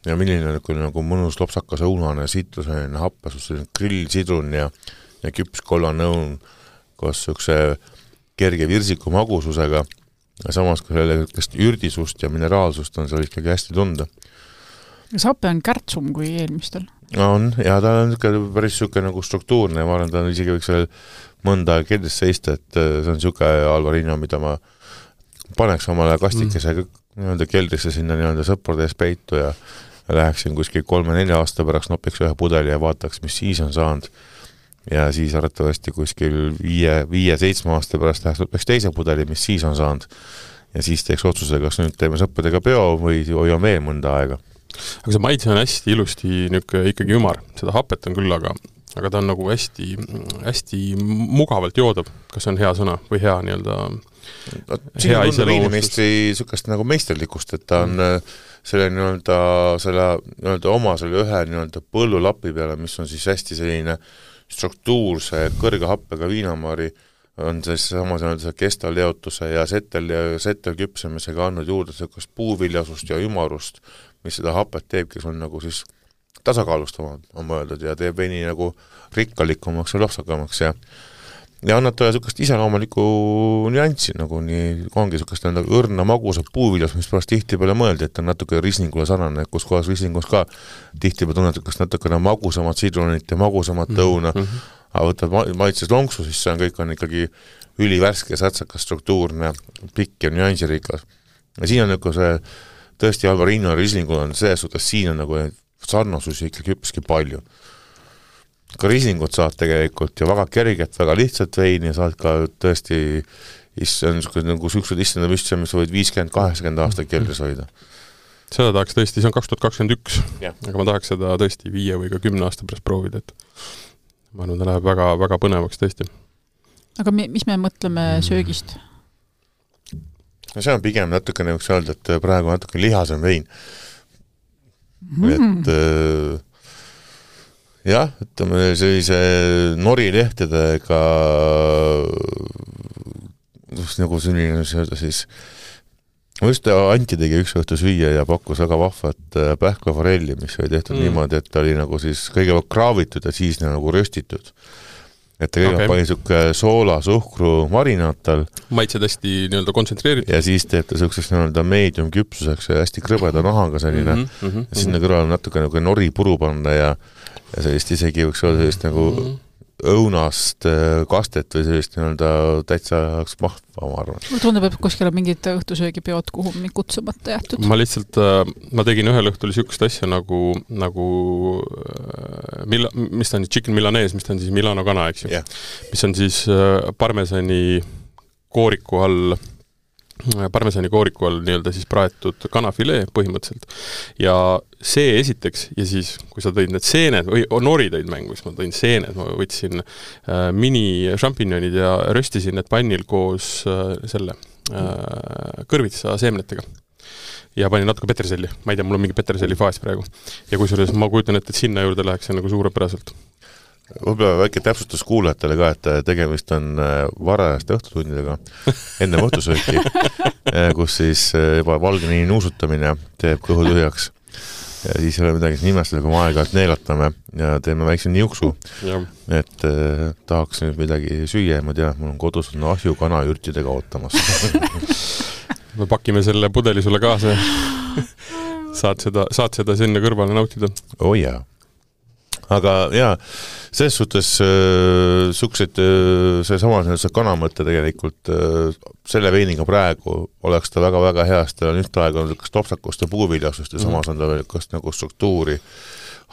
Ja milline on nagu mõnus lopsakas õunane sitruseline happesus, grillsidrun ja, ja küps kollane õun koos sükse kerge virsiku magususega ja samas ka selle ürdisust ja mineraalsust on seal ikkagi hästi tunda. Kas happe on kärtsum kui eelmistel? On, ja ta on päris süke nagu struktuurne ja ma arvan, ta on isegi võiks veel mõnda keldis seista, et see on süke Albarino, mida ma paneks omale kastikese mm. nii-öelda keldrisse sinna nii-öelda sõprade ees peitu ja läheksin kuskil kolme-nelja aasta pärast nopiks ühe pudeli ja vaataks, mis siis on saanud. Ja siis arvatavasti kuskil viie, viie, seitsme aasta pärast läheks nopiks teise pudeli, mis siis on saanud. Ja siis teeks otsuse, kas nüüd teeme sõppedega peo või hoian veel mõnda aega. Aga see maitse on hästi ilusti niuke ikkagi ümar. Seda hapet on küll, aga, aga ta on nagu hästi, hästi mugavalt joodav. Kas on hea sõna või hea nii-öelda no, hea iseloomustus? Sükast nagu meisterlikust, et ta on mm. selle nii-öelda selle nii-öelda oma selle ühe nii-öelda põllulapi peale, mis on siis hästi selline struktuurse kõrge happega viinamari, on siis sama nii-öelda kestal leotuse ja settel, settel küpsemisega andnud juurde sellist puuviljasust ja ümarust, mis seda hapet teeb, kes on nagu siis tasakaalustamad, on mõeldud, ja teeb veini nagu rikkalikumaks ja lopsakamaks ja ja annab talle sellist iseloomulikku nüanssi, nagu nii ongi sellist õrna magusa puuviljas, mis pärast tihtipeale mõeldi, et on natuke rislingule sarnane, kus kohas rislingus ka tihtipeale tunned natukene magusamat sidrunit ja magusamat õuna, mm -hmm. aga võtad maitses lonksu, siis see on kõik on ikkagi ülivärske, sätsakas, struktuurne, pikk ja nüansirikas. Ja siin on nagu see tõesti Albarino rislingul on selles suhtes, siin on nagu sarnasusi ikkagi hüppiski palju. Ka rislingut saad tegelikult ja väga kerget, väga lihtsalt veini ja saad ka tõesti issand, nagu süksud issanda müstse, mis võid viiskümmend kaheksakümmend aastat keldris hoida. Seda tahaks tõesti, see on kaks tuhat kakskümmend üks, yeah. Aga ma tahaks seda tõesti viie või ka kümne aasta pärast proovida, et ma arvan, ta läheb väga, väga põnevaks tõesti. Aga mis me mõtleme söögist? No see on pigem natukene võiks öelda, et praegu natuke lihasem vein. Mm. Et äh, jah, ütleme sellise norilehtedega nagu selline öelda siis just Anti tegi üks õhtu süüa ja pakkus väga vahvat pähklaforelli, mis oli tehtud mm. niimoodi, et ta oli nagu siis kõigepealt kraavitud ja siis nagu röstitud. Et ta kõigepealt okay. pani suke soola, suhkru marinaattal. Maitsed hästi nii-öelda kontsentreeritud. Ja siis teeb ta sukseks nii-öelda medium küpsuseks ja hästi krõbeda nahaga selline. Mm -hmm, ja sinna kõrval natuke nagu nori puru panna ja, ja sellist isegi võiks olla sellist nagu mm -hmm. õunast kastet või sellist nii-öelda täitsa mahva, ma arvan. Tundub, et kuskil on mingid õhtusöögipeod, kuhu mind kutsumata jätud. Ma lihtsalt, ma tegin ühel õhtul sükust asja nagu, nagu mila, mis ta on, chicken milanese, mis ta on siis Milano kana, eks ju? Yeah. Mis on siis parmesani kooriku all parmesani kooriku all nii-öelda siis praetud kanafilee põhimõtteliselt. Ja see esiteks, ja siis, kui sa tõid need seened, või nori tõid mängu, siis ma tõin seened, ma võtsin äh, mini šampinjonid ja röstisin need pannil koos äh, selle äh, kõrvitsa seemnetega. Ja panin natuke peterselli. Ma ei tea, mul on mingi peterselli faas praegu. Ja kui suures, ma kujutan, et, et sinna juurde läheks see nagu suurepäraselt. Võib-olla väike täpsustus kuulajatele ka, et tegemist on varajaste õhtutundidega enne õhtusööki, kus siis juba valgeni nuusutamine teeb kõhu tühjaks. Ja siis ei ole midagi nimestada, kui me aeg-aeg neelatame ja teeme väikse niuksu, ja. et eh, tahaks nüüd midagi süüa ja ma tean, mul on kodus on ahju kanajürtidega ootamas. Me pakime selle pudeli sulle kaasa saad seda, saad seda sinna kõrvale nautida. Oh jaa. Aga jaa, selles suhtes äh, suksed, äh, see sama see kanamõtte tegelikult äh, selle veiniga praegu oleks ta väga-väga heast, ta on üht aega kas topsakust ja puuviljasust ja mm. samas on ta veel kas nagu struktuuri,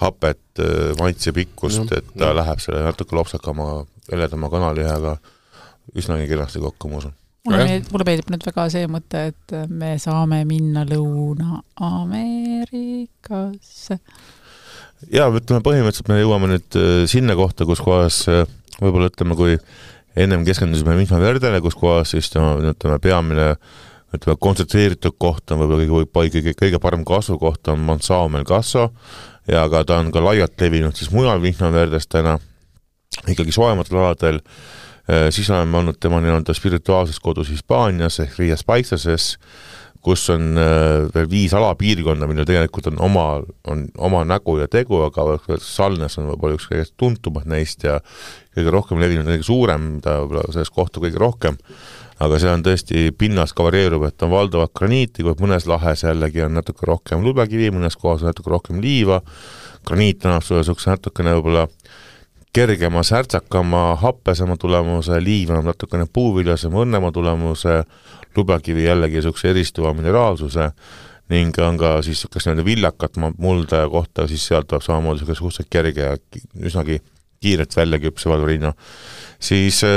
hapet, äh, maitse pikkust, mm. et ta mm. läheb selle natuke lopsakama, eledama kanalihaga üsnagi kenasti kokku, ma usun. Mulle meeldib, mulle meeldib nüüd väga see mõte, et me saame minna Lõuna-Ameerikasse. Ja, ütleme põhimõtteliselt me jõuame nüüd sinna kohta, kus kohas võib-olla ütleme, kui ennem keskendusime Vihma Verdele, kus kohas siis ütleme, peamine ütleme, kontsentreeritud koht on võib-olla kõige, kõige, kõige parem kasvu koht on Mansao Melgasso ja aga ta on ka laialt levinud siis mujal Vihma Verdes täna ikkagi soojamatel aladel. Siis oleme olnud tema nii-öelda spirituaalses kodus Hispaanias ehk Riias Paiksases, kus on veel viis alapiirkonda, mille tegelikult on oma, on oma nägu ja tegu, aga Salnes on võib-olla üks kõige tuntumad neist ja kõige rohkem levinud, kõige suurem, mida selles kohta kõige rohkem, aga see on tõesti pinnas ka varieerub, et on valdavad graniiti, kui mõnes lahes jällegi on natuke rohkem lubekivi, mõnes kohas on natuke rohkem liiva, graniit annab sulle sukse natukene võib-olla kergema, särtsakama, happesema tulemuse, liiv on natukene puuviljasema, õnnema tulemuse, lubekivi jällegi sukse eristuva mineraalsuse ning on ka siis kas nende villakat mulda kohta, siis sealt tuleb samamoodi suhteliselt kerge ja üsnagi kiiret välja küpse Valverino. Siis äh,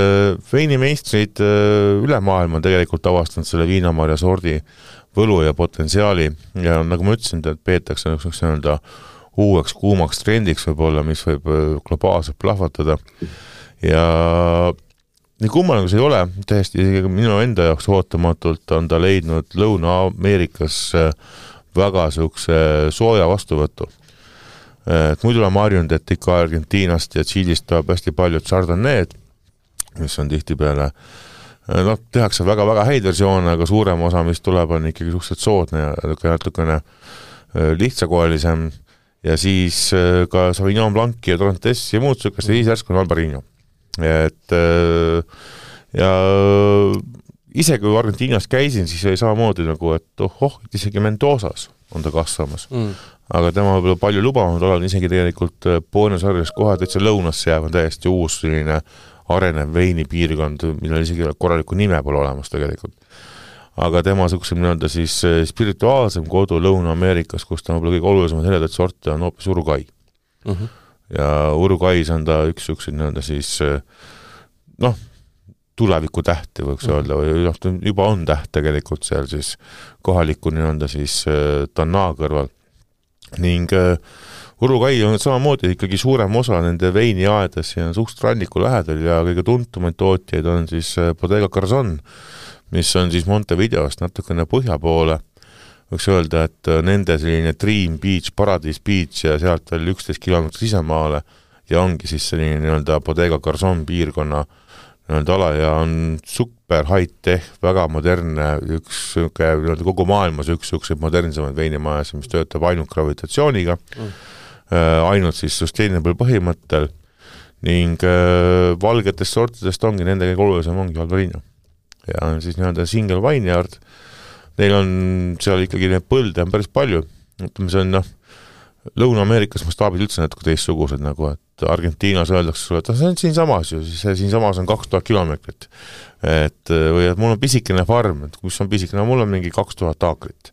veinimeistrid äh, üle maailma tegelikult avastanud selle viinamarja sordi võlu ja potentsiaali ja nagu ma ütlesin, et peetakse üks nii-öelda uueks kuumaks trendiks võib-olla, mis võib globaalselt plahvatada ja nii kummaline, kui see ei ole, tähesti minu enda jaoks ootamatult on ta leidnud Lõuna-Ameerikas väga sukse sooja vastuvõttu. Et muidu olen harjunud, et ikka Argentiinast ja Tšiilist tuleb hästi paljud Chardonnay'd, mis on tihti peale, no tehakse väga-väga häid versioone, aga suurem osa, mis tuleb, on ikkagi suhteliselt soodne ja natukene lihtsakoelisem ja siis ka Sauvignon Blanc ja Torrentess ja muud sukest ja siis järsku on Albarino. Et ja ise kui Argentiinas käisin, siis oli samamoodi nagu, et oh, oh isegi Mendozas on ta kasvamas. Mm. Aga tema võib palju lubanud olla isegi tegelikult Buenos Aires kohe täitsa lõunasse jääb on täiesti uus selline arenev veinipiirkond, millel isegi korraliku nime pole olemas tegelikult. Aga tema suksem nii-öelda siis spirituaalsem kodu Lõuna-Ameerikas, kus ta võib-olla kõige olulisemad heledat sorti on hoopis Uruguay. Mm-hmm. Ja Uruguay's on ta üks süksid nii-öelda siis noh, tuleviku tähti võiks mm. öelda või juba on täht tegelikult seal siis kohaliku nii-öelda siis Tanna kõrval. Ning Uruguay on samamoodi ikkagi suurem osa nende veiniaedes ja suht ranniku lähedal ja kõige tuntumaid tootjaid on siis Bodega Garzón, mis on siis Montevideost natukene põhja poole. Võiks öelda, et nende selline Dream Beach, Paradise Beach ja sealt veel üksteist kilomeetrit sisemaale ja ongi siis selline nii-öelda Bodega Garzón piirkonna nii-öelda ala ja on suk- super high-tech, väga modernne, üks kogu maailmas üks üks modernsemaid veinimajas, mis töötab ainult gravitatsiooniga, mm. ainult siis sustainable põhimõttel ning valgetest sortidest ongi nende kõige olulisem ongi Alvarinho. Ja on siis nii-öelda single vineyard. Neil on seal ikkagi need põlde on päris palju. Ütleme, see on noh, Lõuna-Ameerikas mastaabid üldse natuke teistsugused, nagu et Argentiinas öeldakse sulle, et see on siin samas ju, siis siin samas on kaks tuhat kilomeetrit. Et, või et mul on pisikene farm, et kus on pisikene, mul on mingi kaks tuhat aakrit.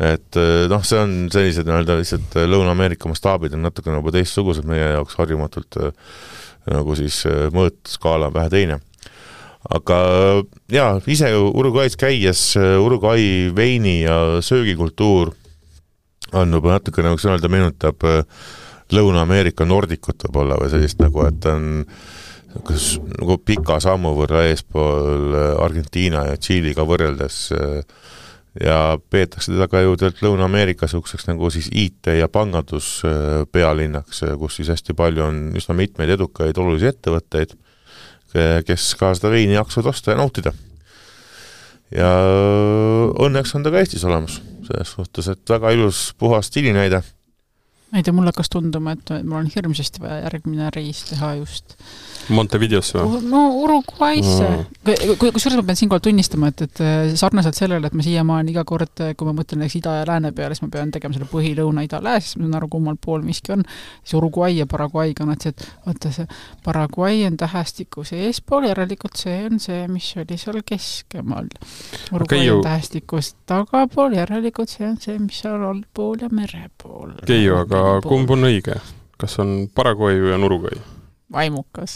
Et noh, see on sellised nii-öelda lihtsalt Lõuna-Ameerika mastaabid on natuke nagu teistsugused meie jaoks harjumatult nagu siis mõõtskaala on vähe teine. Aga jaa, ise Uruguay's käies Uruguay veini ja söögikultuur on juba natuke nagu sõnalda meenutab Lõuna-Ameerika nordikut võib-olla või sellist nagu, et on kas, nagu pika sammu võrra eespool Argentiina ja Tšiiliga võrreldes ja peetakse teda ka ju tõelt Lõuna-Ameerika sukseks nagu siis I T ja pangandus pealinnaks, kus siis hästi palju on üsna mitmeid edukaid olulisi ettevõtteid, kes ka seda veini jaksud osta ja nautida. Ja õnneks on ta ka Eestis olemas. Selles suhtes, et väga ilus puhas stiilinäide. Ma ei tea, mulle hakkas tunduma, et mul on hirmsasti vaja järgmine reis teha just Montevideosse või? No Uruguaysse mm.. kui, kui suures ma pean siinkohal tunnistama, et, et sarnaselt sellele, et ma siiamaani iga kord, kui ma mõtlen näiteks ida ja lääne peale, siis ma pean tegema selle põhilõuna ida lääs, siis ma saan aru, kummal pool miski on. Siis Uruguay ja Paraguay kannad, et vaata see Paraguay on tähestikus eespool, järelikult see on see, mis oli seal keskemal. Uruguay okay, on tähestikus tagapool, järelikult see on see, mis seal allpool ja merepool. Keiu, aga kumb on õige? Kas on Paraguay või on Uruguay? Vaimukas.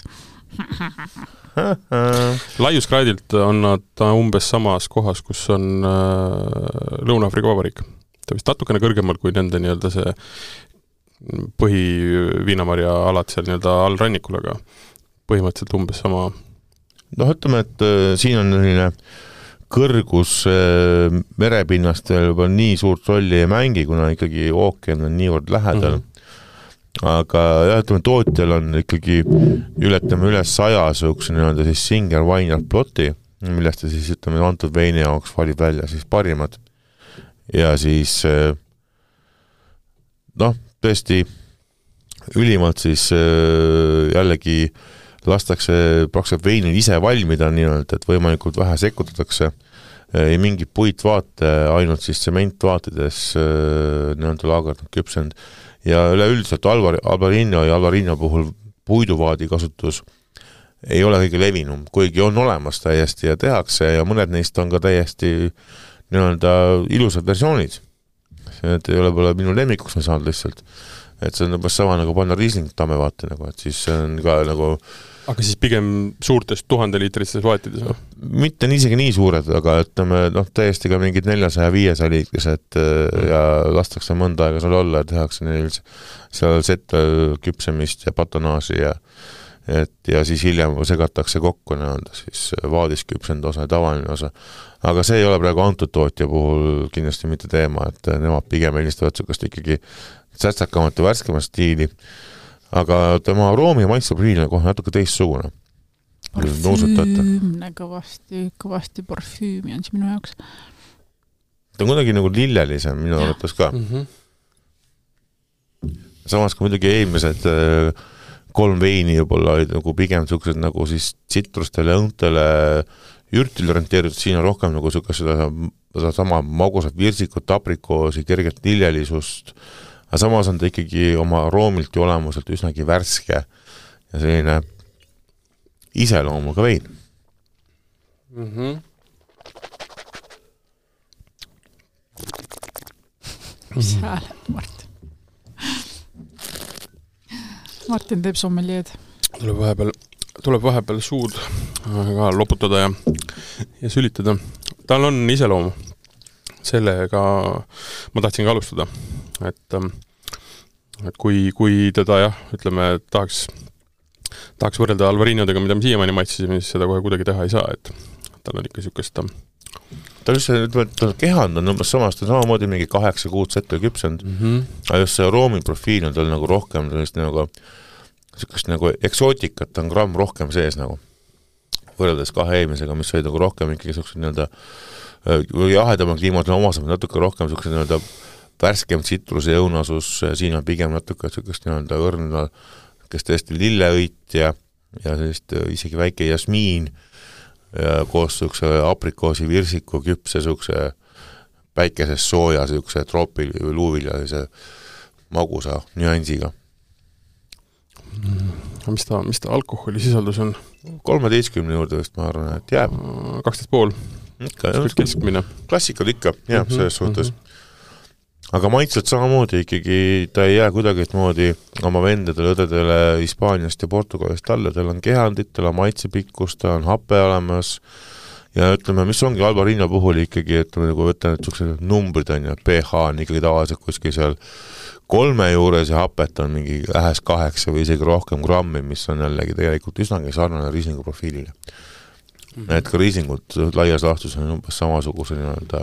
Laiuskraadilt on nad umbes samas kohas, kus on Lõuna-Afrika Vabariik. Ta vist natukene kõrgemal kui nende nii-öelda see põhi Viinamarja alad seal nii-öelda all rannikul, aga põhimõtteliselt umbes sama. No ütleme, et siin on selline kõrgus merepinnast juba nii suurt rolli ei mängi, kuna ikkagi ookean on niivõrd lähedal. Mm-hmm. Aga jah, ütleme, tootjal on ikkagi ületame üle saja sõuks nii-öelda siis Singer Vineyard ploti, millest ta siis ütleme antud veini jaoks valib välja siis parimad. Ja siis noh, tõesti ülimalt siis jällegi lastakse praktiliselt veinil ise valmida nii-öelda, et võimalikult vähe sekutatakse ei mingi puitvaate, ainult siis sementvaatides nii-öelda laagard on küpsend. Ja üleüldiselt Alvarinho ja Alvarinho puhul puiduvaadi kasutus ei ole kõige levinum, kuigi on olemas täiesti ja tehakse ja mõned neist on ka täiesti nii-öelda ilusad versioonid. See ei ole pole minu lemmikuks me saanud lihtsalt. Et see on juba sama nagu panna Riesling tamme vaate, nagu, et siis see on ka nagu aga siis pigem suurtest tuhandeliitristes vaatides või? Mitte isegi nii suured, aga ütleme, noh, täiesti ka mingid neljasaja viiesaja liitrised mm. ja lastakse mõnda aega seal olla ja tehakse neil seal sette küpsemist ja patonaaži ja, et, ja siis hiljem segatakse kokku nii-öelda siis vaadisküpsend osa ja tavaline osa. Aga see ei ole praegu antud tootja puhul kindlasti mitte teema, et nemad pigem eelistavad sukast ikkagi sätsakamat ja värskemat stiili. Aga tema aroomi ja maitseprofiil on kohe natuke teistsugune. Parfüümne kõvasti, kõvasti parfüümi on see minu jaoks. Ta on kuidagi nagu lillelisem minu arvates ka. Mm-hmm. Samas kui muidugi eelmised kolm veini juba olid nagu pigem suksed nagu siis tsitrustele, õuntele, ürtil orienteeritud, siin on rohkem nagu suke seda, seda sama magusat virsikut, aprikoosi, kerget lillelisust. Aga samas on ta ikkagi oma aroomilt ja olemuselt üsnagi värske ja selline iseloomuga vein. Mm-hmm. Mis hääled, Martin? Martin teeb sommeljeed. Tuleb vahepeal, tuleb vahepeal suud ka loputada ja, ja sülitada. Tal on iseloomu. Sellega ma tahtsin ka alustada. Et, et kui, kui teda jah, ütleme, tahaks, tahaks võrrelda Alvarinhodega, mida me siiamaani maitsisime, siis seda kohe kuidagi teha ei saa, et tal on ikka sükest ta on just see, et kehand on umbes samast, ta on samamoodi mingi kaheksa kuud sette küpsend, mm-hmm. aga just see aroomiprofiil on tal nagu rohkem sellist nagu, sükest nagu eksootikat on gramm rohkem sees nagu. võrreldes kahe eelmisega, mis olid nagu rohkem ikkagi sellised nii-öelda jahedama kliimat on omasemad natuke rohkem sellised nii-öelda värskem tsitruse õunasus, siin on pigem natuke sellist nii-öelda õrna, kes tõesti lilleõit ja, ja sellist isegi väike jasmiin ja koos sellise aprikoosi virsiku küpse sellise päikeses sooja sellise troopil või luuvilja sellise magusa nüansiga. Mis ta, mis ta alkoholisisaldus on? kolmeteistkümne juurde vist ma arvan, et jääb. kaksteist pool. Ikka, keskmine. Klassikad ikka, jääb mm-hmm, selles suhtes. Mm-hmm. Aga maitselt samamoodi ikkagi, ta ei jää kuidagi moodi oma vendadele, õdedele Hispaaniast ja Portugalist alla, tal on kehandit, tal on maitsepikkus, ta on hape olemas ja ütleme, mis ongi Albarino puhul ikkagi, et nagu võtan, et sellised numbrid on ja pH on ikkagi tavaliselt kuskil seal kolme juures ja hapet on mingi lähes kaheksa või isegi rohkem grammi, mis on jällegi tegelikult üsnagi sarnane riislingu profiilile. Mm-hmm. Et ka riislingud laias laastus on umbes samasuguse nii-öelda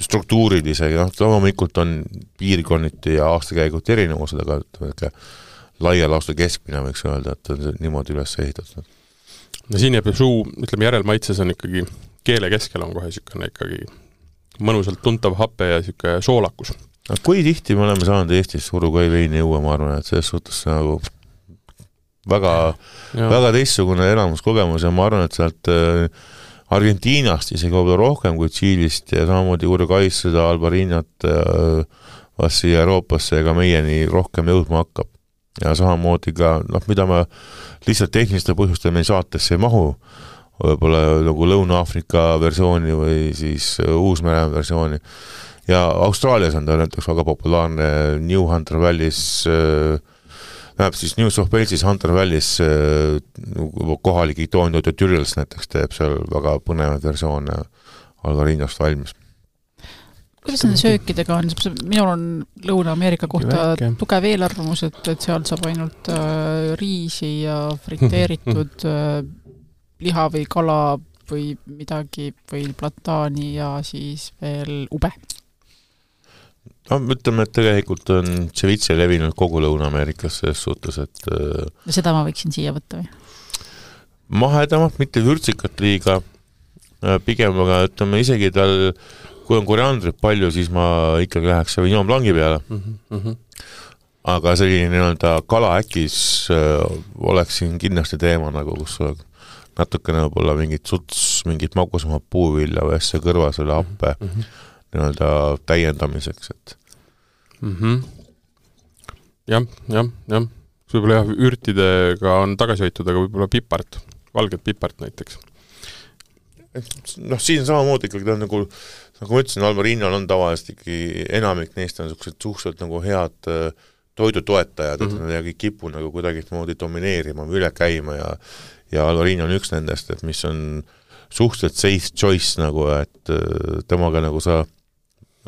struktuurilise, noh, loomulikult on piirkonniti ja aastakäigut erinevused, aga ütleme, laia laastus keskmine võiks öelda, et on niimoodi üles ehitatud. No siin jääb suu, ütleme, järelmaitses on ikkagi, keele keskel on kohe sükene ikkagi mõnusalt tuntav hape ja süke soolakus. No, kui tihti me oleme saanud Eestis Uruguay veini juua, ma arvan, et selles suhtes nagu väga, väga teistsugune elamuskogemus ja ma arvan, et sealt Argentiinast isegi võib-olla rohkem kui Tšiilist ja samamoodi Uruguay's seda Albarinat vast siia Euroopasse ega meieni rohkem jõudma hakkab. Ja samamoodi ka, noh, mida ma lihtsalt tehniliste põhjustel meil saatesse ei mahu, võib-olla nagu Lõuna-Aafrika versiooni või siis Uus-Mere versiooni. Ja Austraalias on ta näiteks väga populaarne New Hunter Valleys, näeb siis New South Walesis Hunter Valleys kohalik Itoon Türils näiteks teeb seal väga põnevad versioone Alvarinost valmis. Kuidas nende söökidega on? Minul on Lõuna-Ameerika kohta tugev eelarvamus, et, et seal saab ainult äh, riisi ja friteeritud äh, liha või kala või midagi või plataani ja siis veel ube. No, ütleme, et tegelikult on ceviche levinud kogu Lõuna-Ameerikas selles suhtes, et ja seda ma võiksin siia võtta või? Mahedamat, mitte vürtsikat liiga, pigem, aga ütleme isegi tal, kui on koriandrit palju, siis ma ikkagi läheks Sauvignon Blanc'i peale. Mm-hmm. Aga selline nii-öelda kala äkis oleks siin kindlasti teema, nagu kus natukene võib-olla mingit suts, mingit magusama puuvilja või asja kõrva selle happe mm-hmm. nii-öelda täiendamiseks, et mm-hmm. jah, jah, jah võib-olla jah, ürtidega on tagasi hoitud, aga võib-olla pipart, valget pipart näiteks. Noh, siin samamoodi ikkagi ta on nagu, nagu ma ütlesin, Albarinol on tavaliselt ikkagi enamik neist on suhteliselt nagu head toidutoetajad, mm-hmm. et nad ei kipu nagu kuidagi moodi domineerima või üle käima ja, ja Albarino on üks nendest, et mis on suhteliselt safe choice nagu, et temaga nagu sa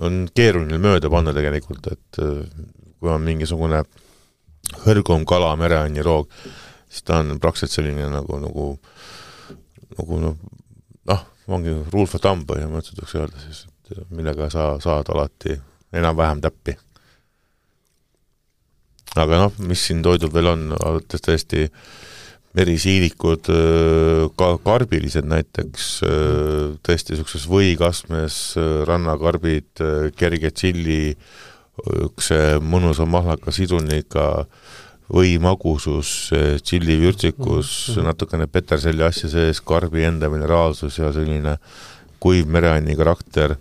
on keeruline mööda panna tegelikult, et kui on mingisugune hõrgum kala, mereanni roog, siis ta on praktiliselt selline nagu, nagu, nagu noh, noh, ongi rule for thumb põhimõtteliselt võiks öelda siis, et millega sa saad alati enam-vähem täppi. Aga noh, mis siin toidub veel on, alates tõesti merisiilikud, ka karbilised näiteks, tõesti sellises võikasmes, rannakarbid, kerge tšilli, üks mõnusa mahlaka siduniga, või magusus, tšilli vürtsikus, mm-hmm. natukene peterselli asja sees, karbi enda mineraalsus ja selline kuiv mereanni karakter.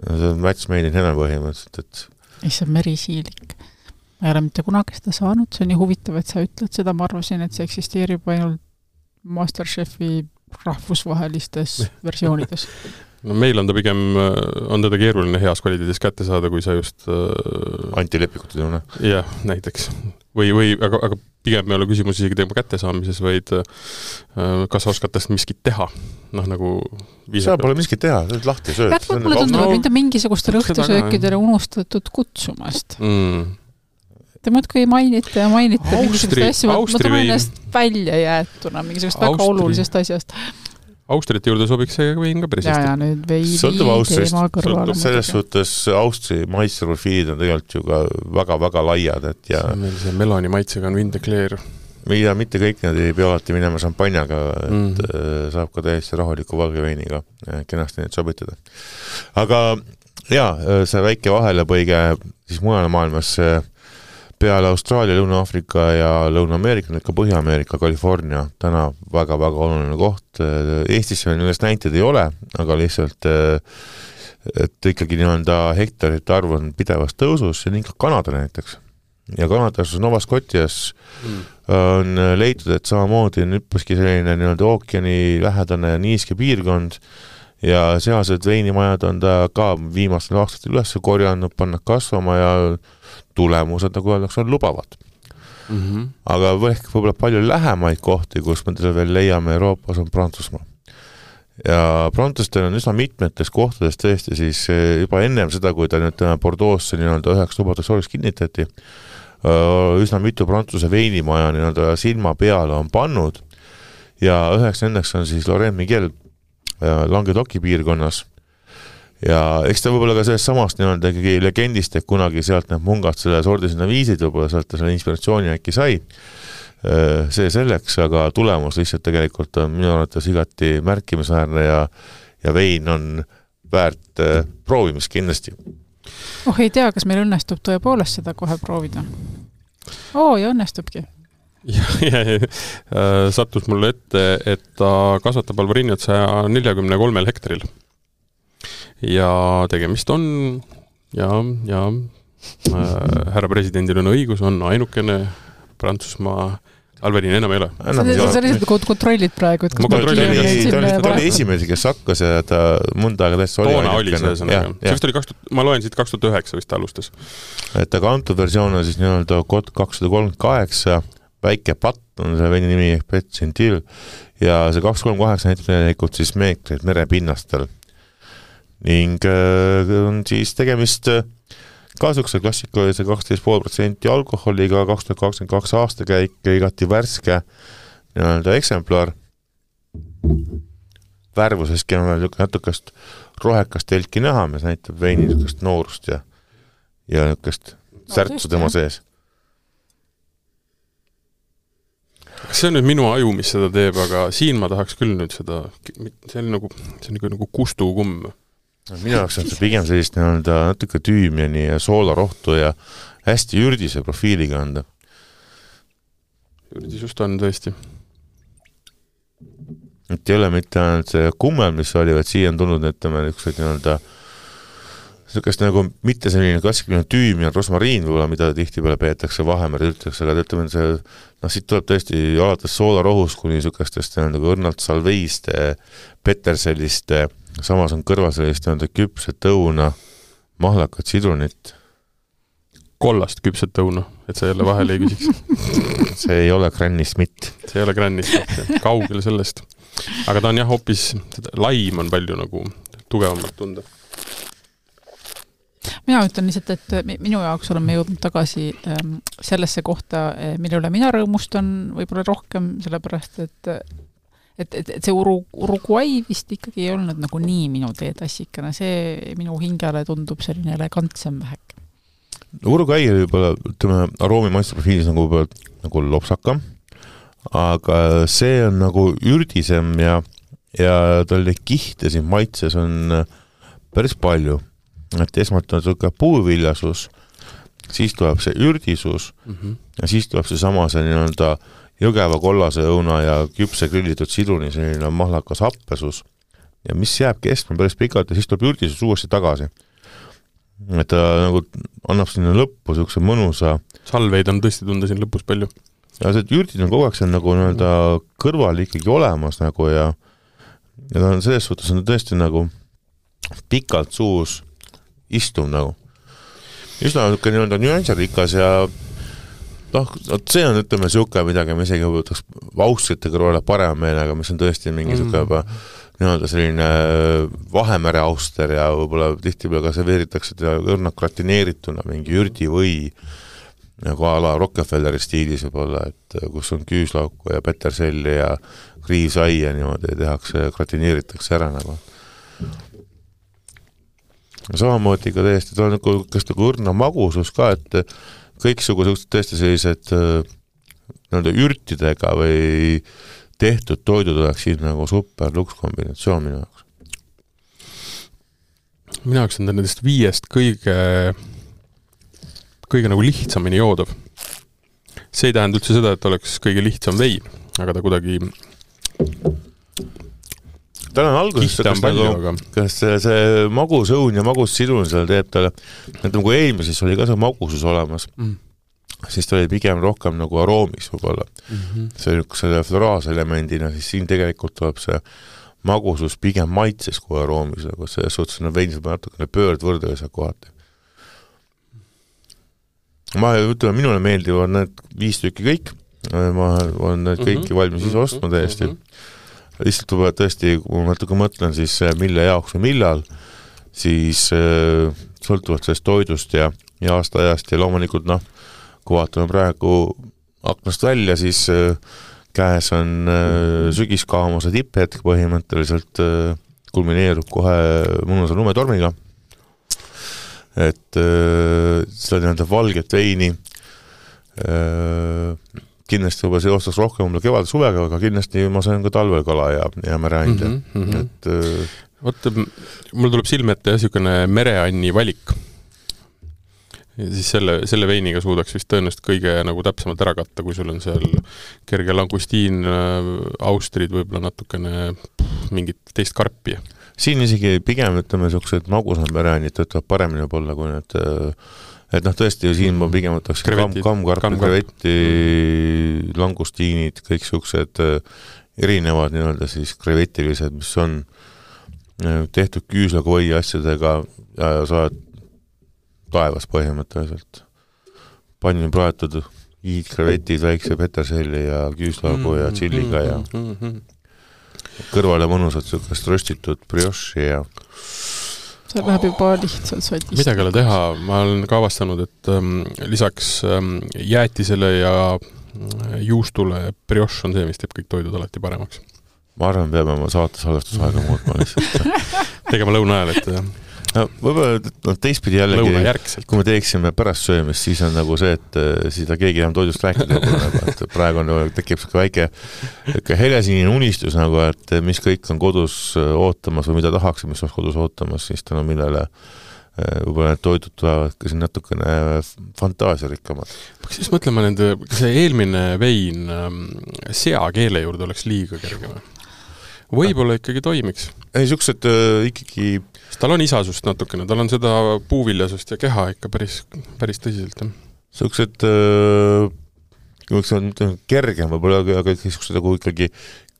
See on match made in heaven põhimõtteliselt, et ei, see on merisiilik. Ma ei ole mitte kunagi seda saanud, see on nii huvitav, et sa ütled seda, ma arvasin, et see eksisteerib ainult Masterchefi rahvusvahelistes versioonides. No meil on ta pigem, on teda keeruline heas kvaliteedis kätte saada, kui sa just äh... antilepikutud tunne. Jah, näiteks. Või, või aga, aga pigem ei ole küsimus isegi tema kättesaamises, vaid äh, kas oskad tast miskit teha? Noh, nagu sa pole miskit teha, sa oled lahti sööd. Jah, mulle tundub, et mind mingisugustele õhtusöökidele unustatud kutsumast. Mm. Te muudkui mainite ja mainite Austri, mingisugust asju, ma tulen ennast välja jäetuna mingisugust väga Austri. Olulisest asjast. Austrite juurde sobiks see vein ka päris hästi. Ja, ja nüüd veini teema kõrvale. Selles suhtes Austri maitsprofiilid on tegelikult ju ka väga-väga laiad, et ja see, meil see meloni maitsega on Vindeclair. mida mitte kõik need ei pea alati minema šampanjaga, et mm. saab ka täiesti rahuliku valgeveiniga kenasti neid sobitada. Aga jaa, see väike vahelepõige siis mujal maailmas peale Austraalia, Lõuna-Afrika ja Lõuna-Ameerika, nüüd ka Põhja-Ameerika, California, täna väga-väga oluline koht. Eestis nendest näited ei ole, aga lihtsalt et ikkagi nii-öelda hektarite arv on pidevas tõusus ja nii ka Kanada näiteks. Ja Kanadas Nova Scotias mm. on leitud, et samamoodi on üppaski selline nii-öelda ookeani lähedane ja niiske piirkond ja sealsed veinimajad on ta ka viimastel aastatel üles korjanud, pannud kasvama ja tulemused, nagu öeldakse, on lubavad. Mm-hmm. Aga võib-olla palju lähemaid kohti, kus me teda veel leiame Euroopas, on Prantsusmaa. Ja Prantsustel on üsna mitmetes kohtades tõesti siis juba ennem seda, kui ta nüüd Bordeaux'sse nii-öelda üheks lubadeks oleks kinnitati, üsna mitu Prantsuse veinimaja nii-öelda silma peale on pannud ja üheks nendeks on siis Laurent Miguel Languedoci piirkonnas ja eks ta võib-olla ka sellest samast nii-öelda ikkagi legendist, et kunagi sealt need mungad selle sordi sinna viisid, võib-olla sealt ta selle inspiratsiooni äkki sai see selleks, aga tulemus lihtsalt tegelikult on minu arvates igati märkimisväärne ja, ja vein on väärt proovimist kindlasti. Oh, ei tea, kas meil õnnestub tõepoolest seda kohe proovida? Oo, ja õnnestubki. Ja, ja, ja sattus mulle ette, et ta kasvatab Alvarinjat saja neljakümne kolmel hektaril. Ja tegemist on, ja, ja äh, härra presidendil on õigus, on ainukene Prantsusmaa Alvarin enam ei ole. Sa lihtsalt kontrollid praegu, et kas ta oli esimesi, kes hakkas ja ta mõnda aega täiesti oli. Toona oli see sõnaga. See vist oli kaks tuhat, ma loen siit kaks tuhat üheksa vist alustas. Et aga antud versioon on siis nii-öelda kod kakssada kolmkümmend kaheksa, väike patt on see veini nimi Pet Gentil ja see kakssada kolmkümmend kaheksa näitab tegelikult siis meetreid merepinnastel. Ning on siis tegemist Kasukse klassika oli see kaksteist koma viis protsenti alkoholiga, kaks tuhat kakskümmend kaks aastakäik, igati värske nii-öelda eksemplar. Värvuseski on veel natukest rohekast telki näha, mis näitab veini niisugust noorust ja, ja niisugust särtsu tema sees. Kas see on nüüd minu aju, mis seda teeb, aga siin ma tahaks küll nüüd seda, see on nagu, see on nagu, nagu kustukumm. Minu jaoks on see pigem sellist nii-öelda natuke tüümiani ja soolarohtu ja hästi ürdise profiiliga anda. Ürdisust on tõesti. Et ei ole mitte ainult see kummel, mis oli, vaid siia on tulnud ütleme niisugused nii-öelda niisugust nagu mitte selline klassikaline tüüm ja rosmariin võib-olla, mida tihtipeale peetakse Vahemere üldse, aga ütleme see, noh, siit tuleb tõesti alates soolarohust kuni niisugustest nagu õrnalt salveiste, peterselliste, samas on kõrval sellist nii-öelda küpset õuna, mahlakat sidrunit. Kollast küpset õuna, et sa jälle vahele ei küsiks. See ei ole Granny Smith. See ei ole Granny Smith, kaugel sellest. Aga ta on jah hoopis, laim on palju nagu tugevamalt tunda. Mina ütlen lihtsalt, et minu jaoks oleme jõudnud tagasi sellesse kohta, mille üle mina rõõmustan võib-olla rohkem, sellepärast, et et, et, et see Uru, Uruguay vist ikkagi ei olnud nagu nii minu teetassikana, see minu hingele tundub selline elegantsem vähek. Uruguay oli võib-olla, ütleme, aroomi maisteprofiilis nagu, nagu lopsakam, aga see on nagu ürdisem ja, ja tal kihte siin maitses on päris palju. Et esmalt on selline puuviljasus, siis tuleb see ürdisus mm-hmm. ja siis tuleb see sama see nii-öelda jõgeva kollase õuna ja küpse grillitud sidruni selline mahlakas happesus ja mis jääb kestma päris pikalt ja siis tuleb ürdisus uuesti tagasi. Et ta nagu annab sinna lõppu selline mõnusa salveid on tõesti tunda siin lõpus palju. Ja see ürdid on kogu aeg see on nagu nii-öelda kõrval ikkagi olemas nagu ja, ja ta on selles suhtes on tõesti nagu pikalt suus istum nagu. Üsna nii-öelda nüansirikas ja noh, see on ütleme siuke midagi, me isegi võtaks vaustrite kõrvale parema meelega, mis on tõesti mingi siuke juba nii-öelda selline Vahemere auster ja võib-olla tihtipeale ka serveeritakse teda õrnalt gratineerituna mingi ürdi või nagu a la Rockefelleri stiilis võib-olla, et kus on küüslauku ja peterselli ja kriivsaia niimoodi tehakse, gratineeritakse ära nagu. Samamoodi ka täiesti, ta on nagu õrna magusus ka, et kõiksugu tõesti sellised nii-öelda ürtidega või tehtud toidud oleks siin nagu super luks kombinatsioon minu jaoks. Minu jaoks on nendest viiest kõige kõige nagu lihtsamini joodav. See ei tähenda üldse seda, et oleks kõige lihtsam vein, aga ta kuidagi tal on alguses kas, palju, nagu, aga... kas see, see magus õun ja magus sidun seal teeb talle, et kui eelmises oli ka see magusus olemas, mm. siis ta oli pigem rohkem nagu aroomis võib-olla. Mm-hmm. See oli selle floraaselemendina, siis siin tegelikult tuleb see magusus pigem maitses kui aroomis, aga see suhtes on veinis natukene pöördvõrdega kohati. Ma ütleme, minule meeldivad need viis tükki kõik, ma olen need kõiki mm-hmm. valmis ise ostma täiesti. Mm-hmm. Lihtsalt tuleb tõesti, kui ma natuke mõtlen, siis mille jaoks või millal, siis äh, sõltuvad sellest toidust ja, ja aasta ajast ja loomulikult, noh, kui vaatame praegu aknast välja, siis äh, käes on äh, sügiskaamuse tipphetk põhimõtteliselt äh, kulmineerub kohe mõnusa lumetormiga. Et äh, seda nii-öelda valget veini äh, kindlasti juba see ostaks rohkem mulle kevade suvega, aga kindlasti ma sain ka talvel kala ja, ja mereande. Mm -hmm. et, äh, Oota, mul tuleb silme ette niisugune mereanni valik. Ja siis selle, selle veiniga suudaks vist tõenäoliselt kõige nagu täpsemalt ära katta, kui sul on seal kerge langustiin, austrid, võib-olla natukene pff, mingit teist karpi. Siin isegi pigem, ütleme, niisugused magusad mereannid töötavad paremini võib-olla, kui need, et noh, tõesti, siin ma pigem võtaks kam, kamkarpi, krevetti, langustiinid, kõik niisugused erinevad nii-öelda siis krevetilised, mis on tehtud küüslakoi asjadega ja sa oled taevas põhimõtteliselt. Pannin praetud iidkrevetid, väikse peterselli ja küüslagu ja tšilliga ja kõrvale mõnusad niisugust röstitud brioši ja see läheb juba lihtsalt sotist. Midagi ei ole teha, ma olen ka avastanud, et ähm, lisaks ähm, jäätisele ja juustule brioš on see, mis teeb kõik toidud alati paremaks. Ma arvan, peame oma saate salvestusaega muutma lihtsalt. Tegema lõuna ajal, et no, võib-olla no, teistpidi jällegi, kui me teeksime pärast söömist, siis on nagu see, et siis ta keegi enam toidust rääkida et praegu on, tekib väike helesinine unistus, nagu, et mis kõik on kodus ootamas või mida tahaks, mis on kodus ootamas, siis tänu millele võib-olla need toidud tulevad ka siin natukene fantaasiarikkamad. Siis mõtlema nende, see eelmine vein seakeele juurde oleks liiga kergema. Võib-olla ikkagi toimiks. Ei, niisugused äh, ikkagi... Tal on isasust natukene, tal on seda puuviljasust ja keha ikka päris, päris tõsiselt. Niisugused äh, on kergem võib-olla, aga niisugused nagu ikkagi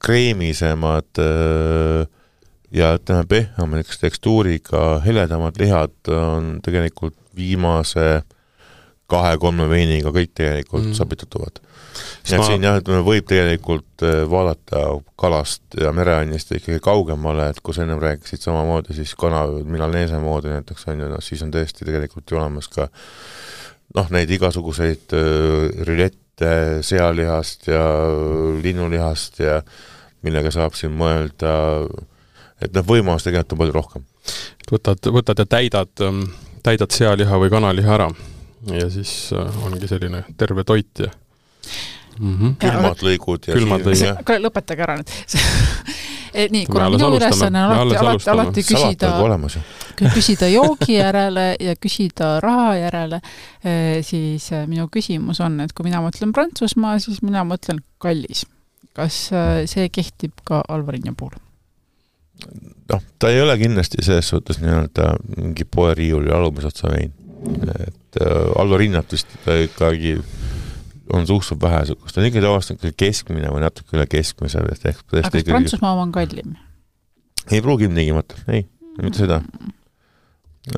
kreemisemad äh, ja ütleme pehmemaks tekstuuriga heledamad lihad on tegelikult viimase kahe-kolme veiniga kõik tegelikult mm. sabitatuvad. Ja ma... siin jah, et võib tegelikult vaadata kalast ja mereannist ikkagi kaugemale, et kui sa ennem rääkisid samamoodi, siis kana milaneese moodi näiteks on, no, siis on tõesti tegelikult ju olemas ka noh, neid igasuguseid rülette sealihast ja linnulihast ja millega saab siin mõelda, et noh, võimalus tegelikult on palju rohkem. Võtad, võtad ja täidad, täidad sealiha või kanaliha ära ja siis ongi selline terve toit ja Mm-hmm. külmad lõigud ja külmad lõigud. Aga lõpetage ära nüüd. Nii, kuna minu ülesanne on alati, alati, alati küsida, küsida joogi järele ja küsida raha järele, siis minu küsimus on, et kui mina mõtlen Prantsusmaa, siis mina mõtlen kallis. Kas see kehtib ka Alvarinja puhul? noh, ta ei ole kindlasti selles suhtes nii-öelda mingi poeriiuli alumisotsa vein. Et äh, Alvarinnat vist ikkagi on suhteliselt vähe, ta on ikkagi tavaliselt keskmine või natuke üle keskmise. Aga kas ikkagi... Prantsusmaa on kallim? Ei pruugi tingimata, ei, mitte seda.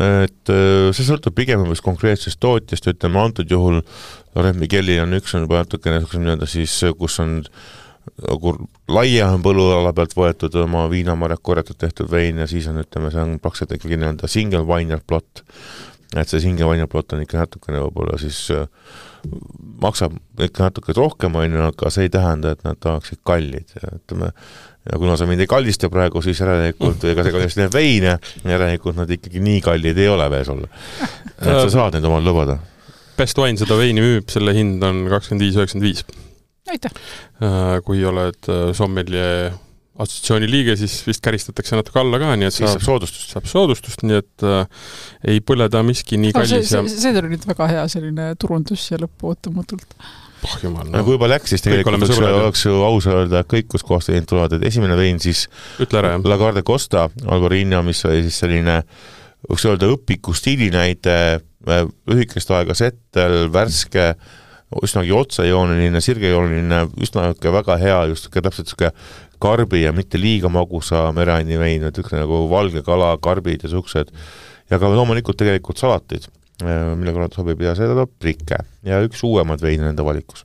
Et see sõltub pigem konkreetsest tootjast, ütleme antud juhul Laurent Migueli on üks on juba natukene nii-öelda siis, kus on laia on põlluala pealt võetud oma viinamarjad korjatud tehtud vein ja siis on, ütleme, see on praktiliselt ikkagi nii-öelda single viner plot. Et see single viner plot on ikka natukene võib-olla siis maksab ikka natuke rohkem, aga see ei tähenda, et nad tahaksid kallid. Ja, ütleme, ja kuna sa mind ei kallista praegu, siis järelikult, ega see kallis need veine, järelikult nad ikkagi nii kallid ei ole veel sulle. Et sa saad neid omal lõbada. Best Wine seda veini müüb, selle hind on kakskümmend viis üheksakümmend viis. Aitäh! Kui oled sommelier assotsiatsiooni liige, siis vist käristatakse natuke alla ka, nii et siis saab soodustust. Saab soodustust, nii et äh, ei põleda miski nii kallis. No, see, ja... see, see oli nüüd väga hea selline turundus ja lõppu ootamatult. Oh, jumal, no. No, kui juba läks, siis tegelikult oleks, oleks ju aus öelda, et kõik, kus kohast vein tulevad, et esimene vein siis Ütle ära, La Garde Costa Albarino, mis oli siis selline võiks öelda õpiku stiilinäide, lühikest aega settel, värske, üsnagi otsejooneline, sirgejooneline, üsna väga hea, just täpselt selline karbi ja mitte liiga magusa mereanni vein, et üks nagu valge kala, karbid ja suksed. Ja ka loomulikult tegelikult salatid, mille korral sobib ja seda prikke ja üks uuemad vein nende valikus.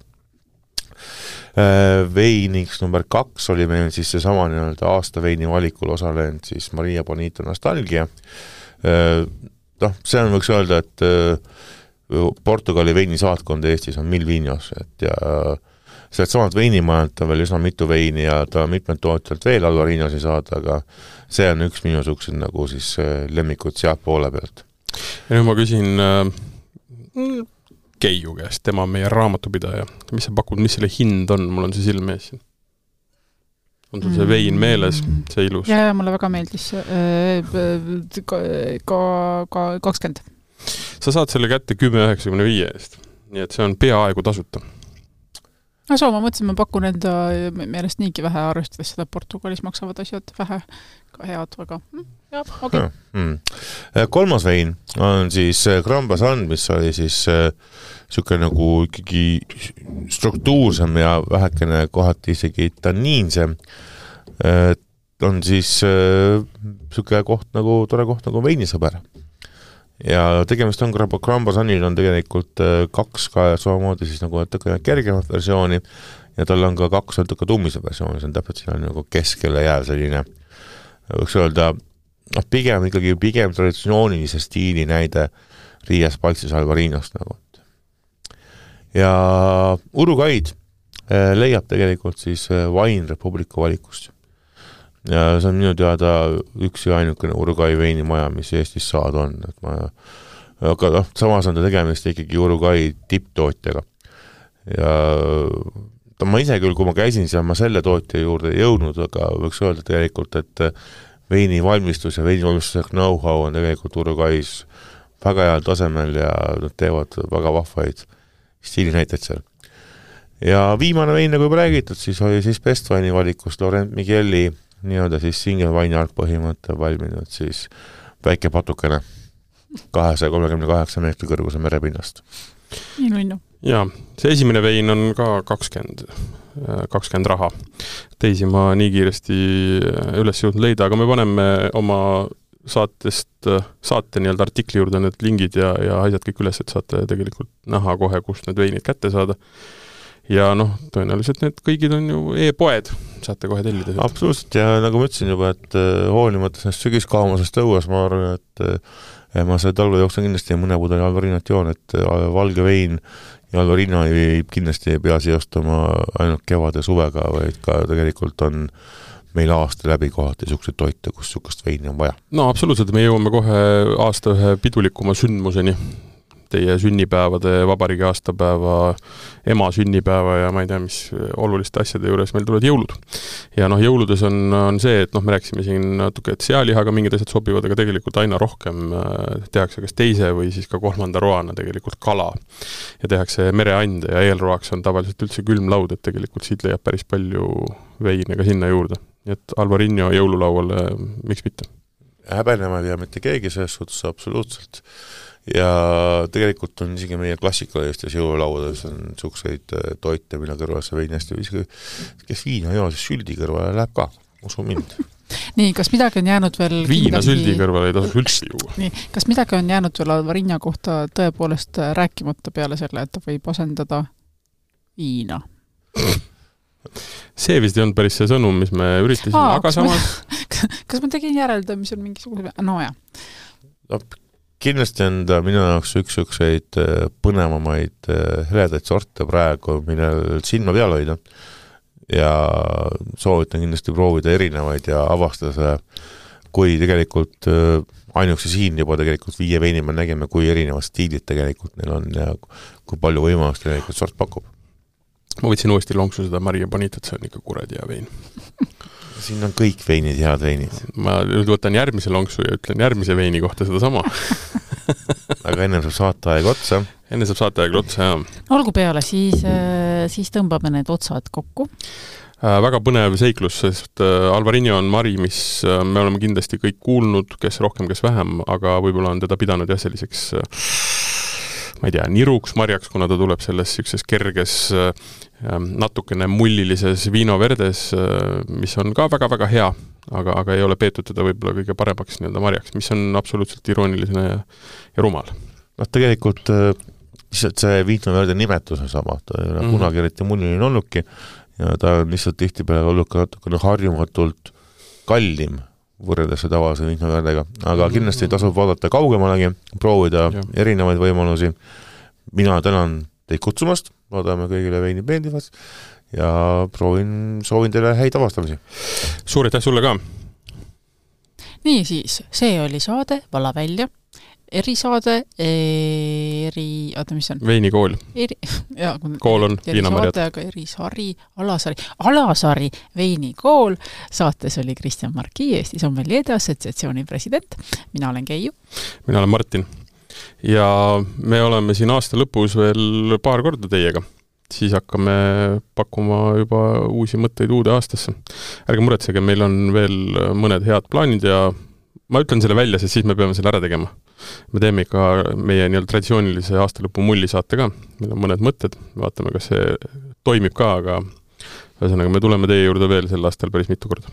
Veiniks number kaks oli meil siis see sama nii-öelda aasta veini valikul osalenud siis Maria Bonita Nostalgia. No, see on võiks öelda, et Portugali veinisaatkond Eestis on Milvinos, et ja sealt samalt veinimajalt on veel üsna mitu veini ja ta mitmed tootjalt veel Alvarinosi saada, aga see on üks minu suksed nagu siis lemmikud sealt poole pealt. Ja nüüd ma küsin äh, Keiu käest, tema on meie raamatupidaja. Mis sa pakud, mis selle hind on? Mul on see silme ees. On sul see vein meeles, see ilus? Ja, ja mulle väga meeldis ka, ka, ka kakskümmend. Sa saad selle kätte kümme üheksakümne viie eest, nii et see on peaaegu tasuta. No soo, ma mõtlesin, ma pakun enda meelest niigi vähe arvestades seda Portugalis maksavad asjad vähe ka head, aga jah, okei. Okay. Hmm. Kolmas vein on siis Gran Basan, mis oli siis siuke nagu ikkagi struktuursem ja vähekene kohati isegi tanniinsem. On siis siuke koht nagu, tore koht nagu veinisõber. Ja tegemist on Gran Basanil on tegelikult kaks ka samamoodi siis nagu kergemat versiooni ja tal on ka kaks natuke tummise versiooni, see on täpselt siin on nagu keskele jääv selline, võiks öelda, no pigem ikkagi pigem traditsioonilise stiili näide Riias Paltsis Alvarinost nagu. Ja Uruguaid leiab tegelikult siis Wine Republica valikust. Ja see on minu teada üks ja ainukene Uruguay veinimaja, mis Eestis saad on. Et ma, aga noh, samas on ta tegemist ikkagi Uruguay tipptootjaga. Ja ta, ma ise küll, kui ma käisin seal, ma selle tootja juurde jõudnud, aga võiks öelda tegelikult, et veini valmistus ja veini valmistuse know-how on tegelikult Uruguay's väga heal tasemel ja nad teevad väga vahvaid stiilinäiteid seal. Ja viimane vein, nagu juba räägitud, siis oli siis Best Wine'i valikust Laurent Migueli nii-öelda siis single wine art põhimõte valminud siis väike patukene kahesaja kolmekümne kaheksa meetri kõrguse merepinnast. Nii nunnu. Ja, see esimene vein on ka kakskümmend, kakskümmend raha. Teisi ma nii kiiresti üles jõudnud leida, aga me paneme oma saatest, saate nii-öelda artikli juurde need lingid ja, ja asjad kõik üles, et saate tegelikult näha kohe, kust need veinid kätte saada. Ja noh, tõenäoliselt need kõigid on ju e-poed, saate kohe tellida. Absoluutselt, ja nagu ma ütlesin juba, et hoolimata sellest sügiskaamusest õues, ma arvan, et ma see talve jooksul kindlasti mõne pudeli Alvarinot joon, et valge vein ja Alvarino ei kindlasti ei pea seostama ainult kevad ja suvega, vaid ka tegelikult on meil aasta läbi kohati niisugused toite, kus niisugust veini on vaja. No absoluutselt, me jõuame kohe aasta ühe pidulikuma sündmuseni. Teie sünnipäevade, vabariigi aastapäeva, ema sünnipäeva ja ma ei tea, mis oluliste asjade juures meil tulevad jõulud. Ja noh, jõuludes on, on see, et noh, me rääksime siin natuke, et sealihaga mingid asjad sobivad, aga tegelikult aina rohkem tehakse kas teise või siis ka kolmanda roana tegelikult kala. Ja tehakse mereande ja eelroaks on tavaliselt üldse külmlaud, et tegelikult siit leiab päris palju veine ka sinna juurde. Nii et Alvarinho jõululauale, miks mitte? Häbenema ei pea mitte keegi selles suhtes absoluutselt. Ja tegelikult on isegi meie klassikalistes jõululauades on niisuguseid toite, mille kõrval see vein hästi viski, kes viina joo, siis süldi kõrvale läheb ka, usu mind. Nii, kas midagi on jäänud veel viina kindlasti... süldi kõrvale ei tasu üldse juua. Nii, kas midagi on jäänud veel Alvarinho kohta tõepoolest rääkimata peale selle, et ta võib asendada viina? See vist ei olnud päris see sõnum, mis me üritasime, Aa, aga samas... Ma, kas ma tegin järelda, mis on mingisuguse... No jah. No, kindlasti on ta minu jaoks üks-ükseid põnevamaid heledaid sorte praegu, millel silma peal hoida. Ja soovitan kindlasti proovida erinevaid ja avastada see, kui tegelikult ainuksi siin juba tegelikult viie veini me nägime, kui erinevad stiilid tegelikult neil on ja kui palju võimalust tegelikult sort pakub. ma võtsin uuesti lonksu seda Maria Bonitat, see on ikka kuradi hea vein. Siin on kõik veinid, head veinid. Ma nüüd võtan järgmise lonksu ja ütlen järgmise veini kohta seda sama. Aga enne saab saateaeg otsa. Enne saab saateaeg otsa, jah. Olgu peale, siis, siis tõmbame need otsad kokku. Väga põnev seiklus, sest Alvarinho on Mari, mis me oleme kindlasti kõik kuulnud, kes rohkem, kes vähem, aga võib-olla on teda pidanud jah selliseks, ma ei tea, niruks marjaks, kuna ta tuleb selles sellises kerges, natukene mullilises Vino Verdes, mis on ka väga-väga hea, aga, aga ei ole peetud teda võib-olla kõige paremaks nii-öelda marjaks, mis on absoluutselt irooniline ja, ja rumal. No tegelikult lihtsalt see Vino Verde nimetus on sama, ta ei ole mm-hmm. kunagi eriti mulliline olnudki ja ta on lihtsalt tihtipeale olnud ka natukene harjumatult kallim võrreldes tavalise Vino Verdega, aga kindlasti tasub vaadata kaugemalegi, proovida ja. erinevaid võimalusi. Mina tänan teid kutsumast, loodame kõigile veini meeldivad ja proovin, soovin teile häid avastamisi. Suur aitäh sulle ka! Nii siis, see oli saade Vala välja, erisaade, eri... Oota, mis on? Veinikool. Eri... Ja, kool on Viinamarjad. Aga erisari, Alasari, Alasari veinikool. Saates oli Kristjan Marki, Eesti Sommelierde Assotsiatsiooni president. Mina olen Keiu. Mina olen Martin. Ja me oleme siin aasta lõpus veel paar korda teiega. Siis hakkame pakkuma juba uusi mõtteid uude aastasse. Ärge muretsege, meil on veel mõned head plaanid ja ma ütlen selle välja, sest siis me peame selle ära tegema. Me teeme ikka meie nii-öelda traditsioonilise aastalõpu mullisaate ka. Meil on mõned mõtted, vaatame, kas see toimib ka, aga ühesõnaga me tuleme teie juurde veel sel aastal päris mitu korda.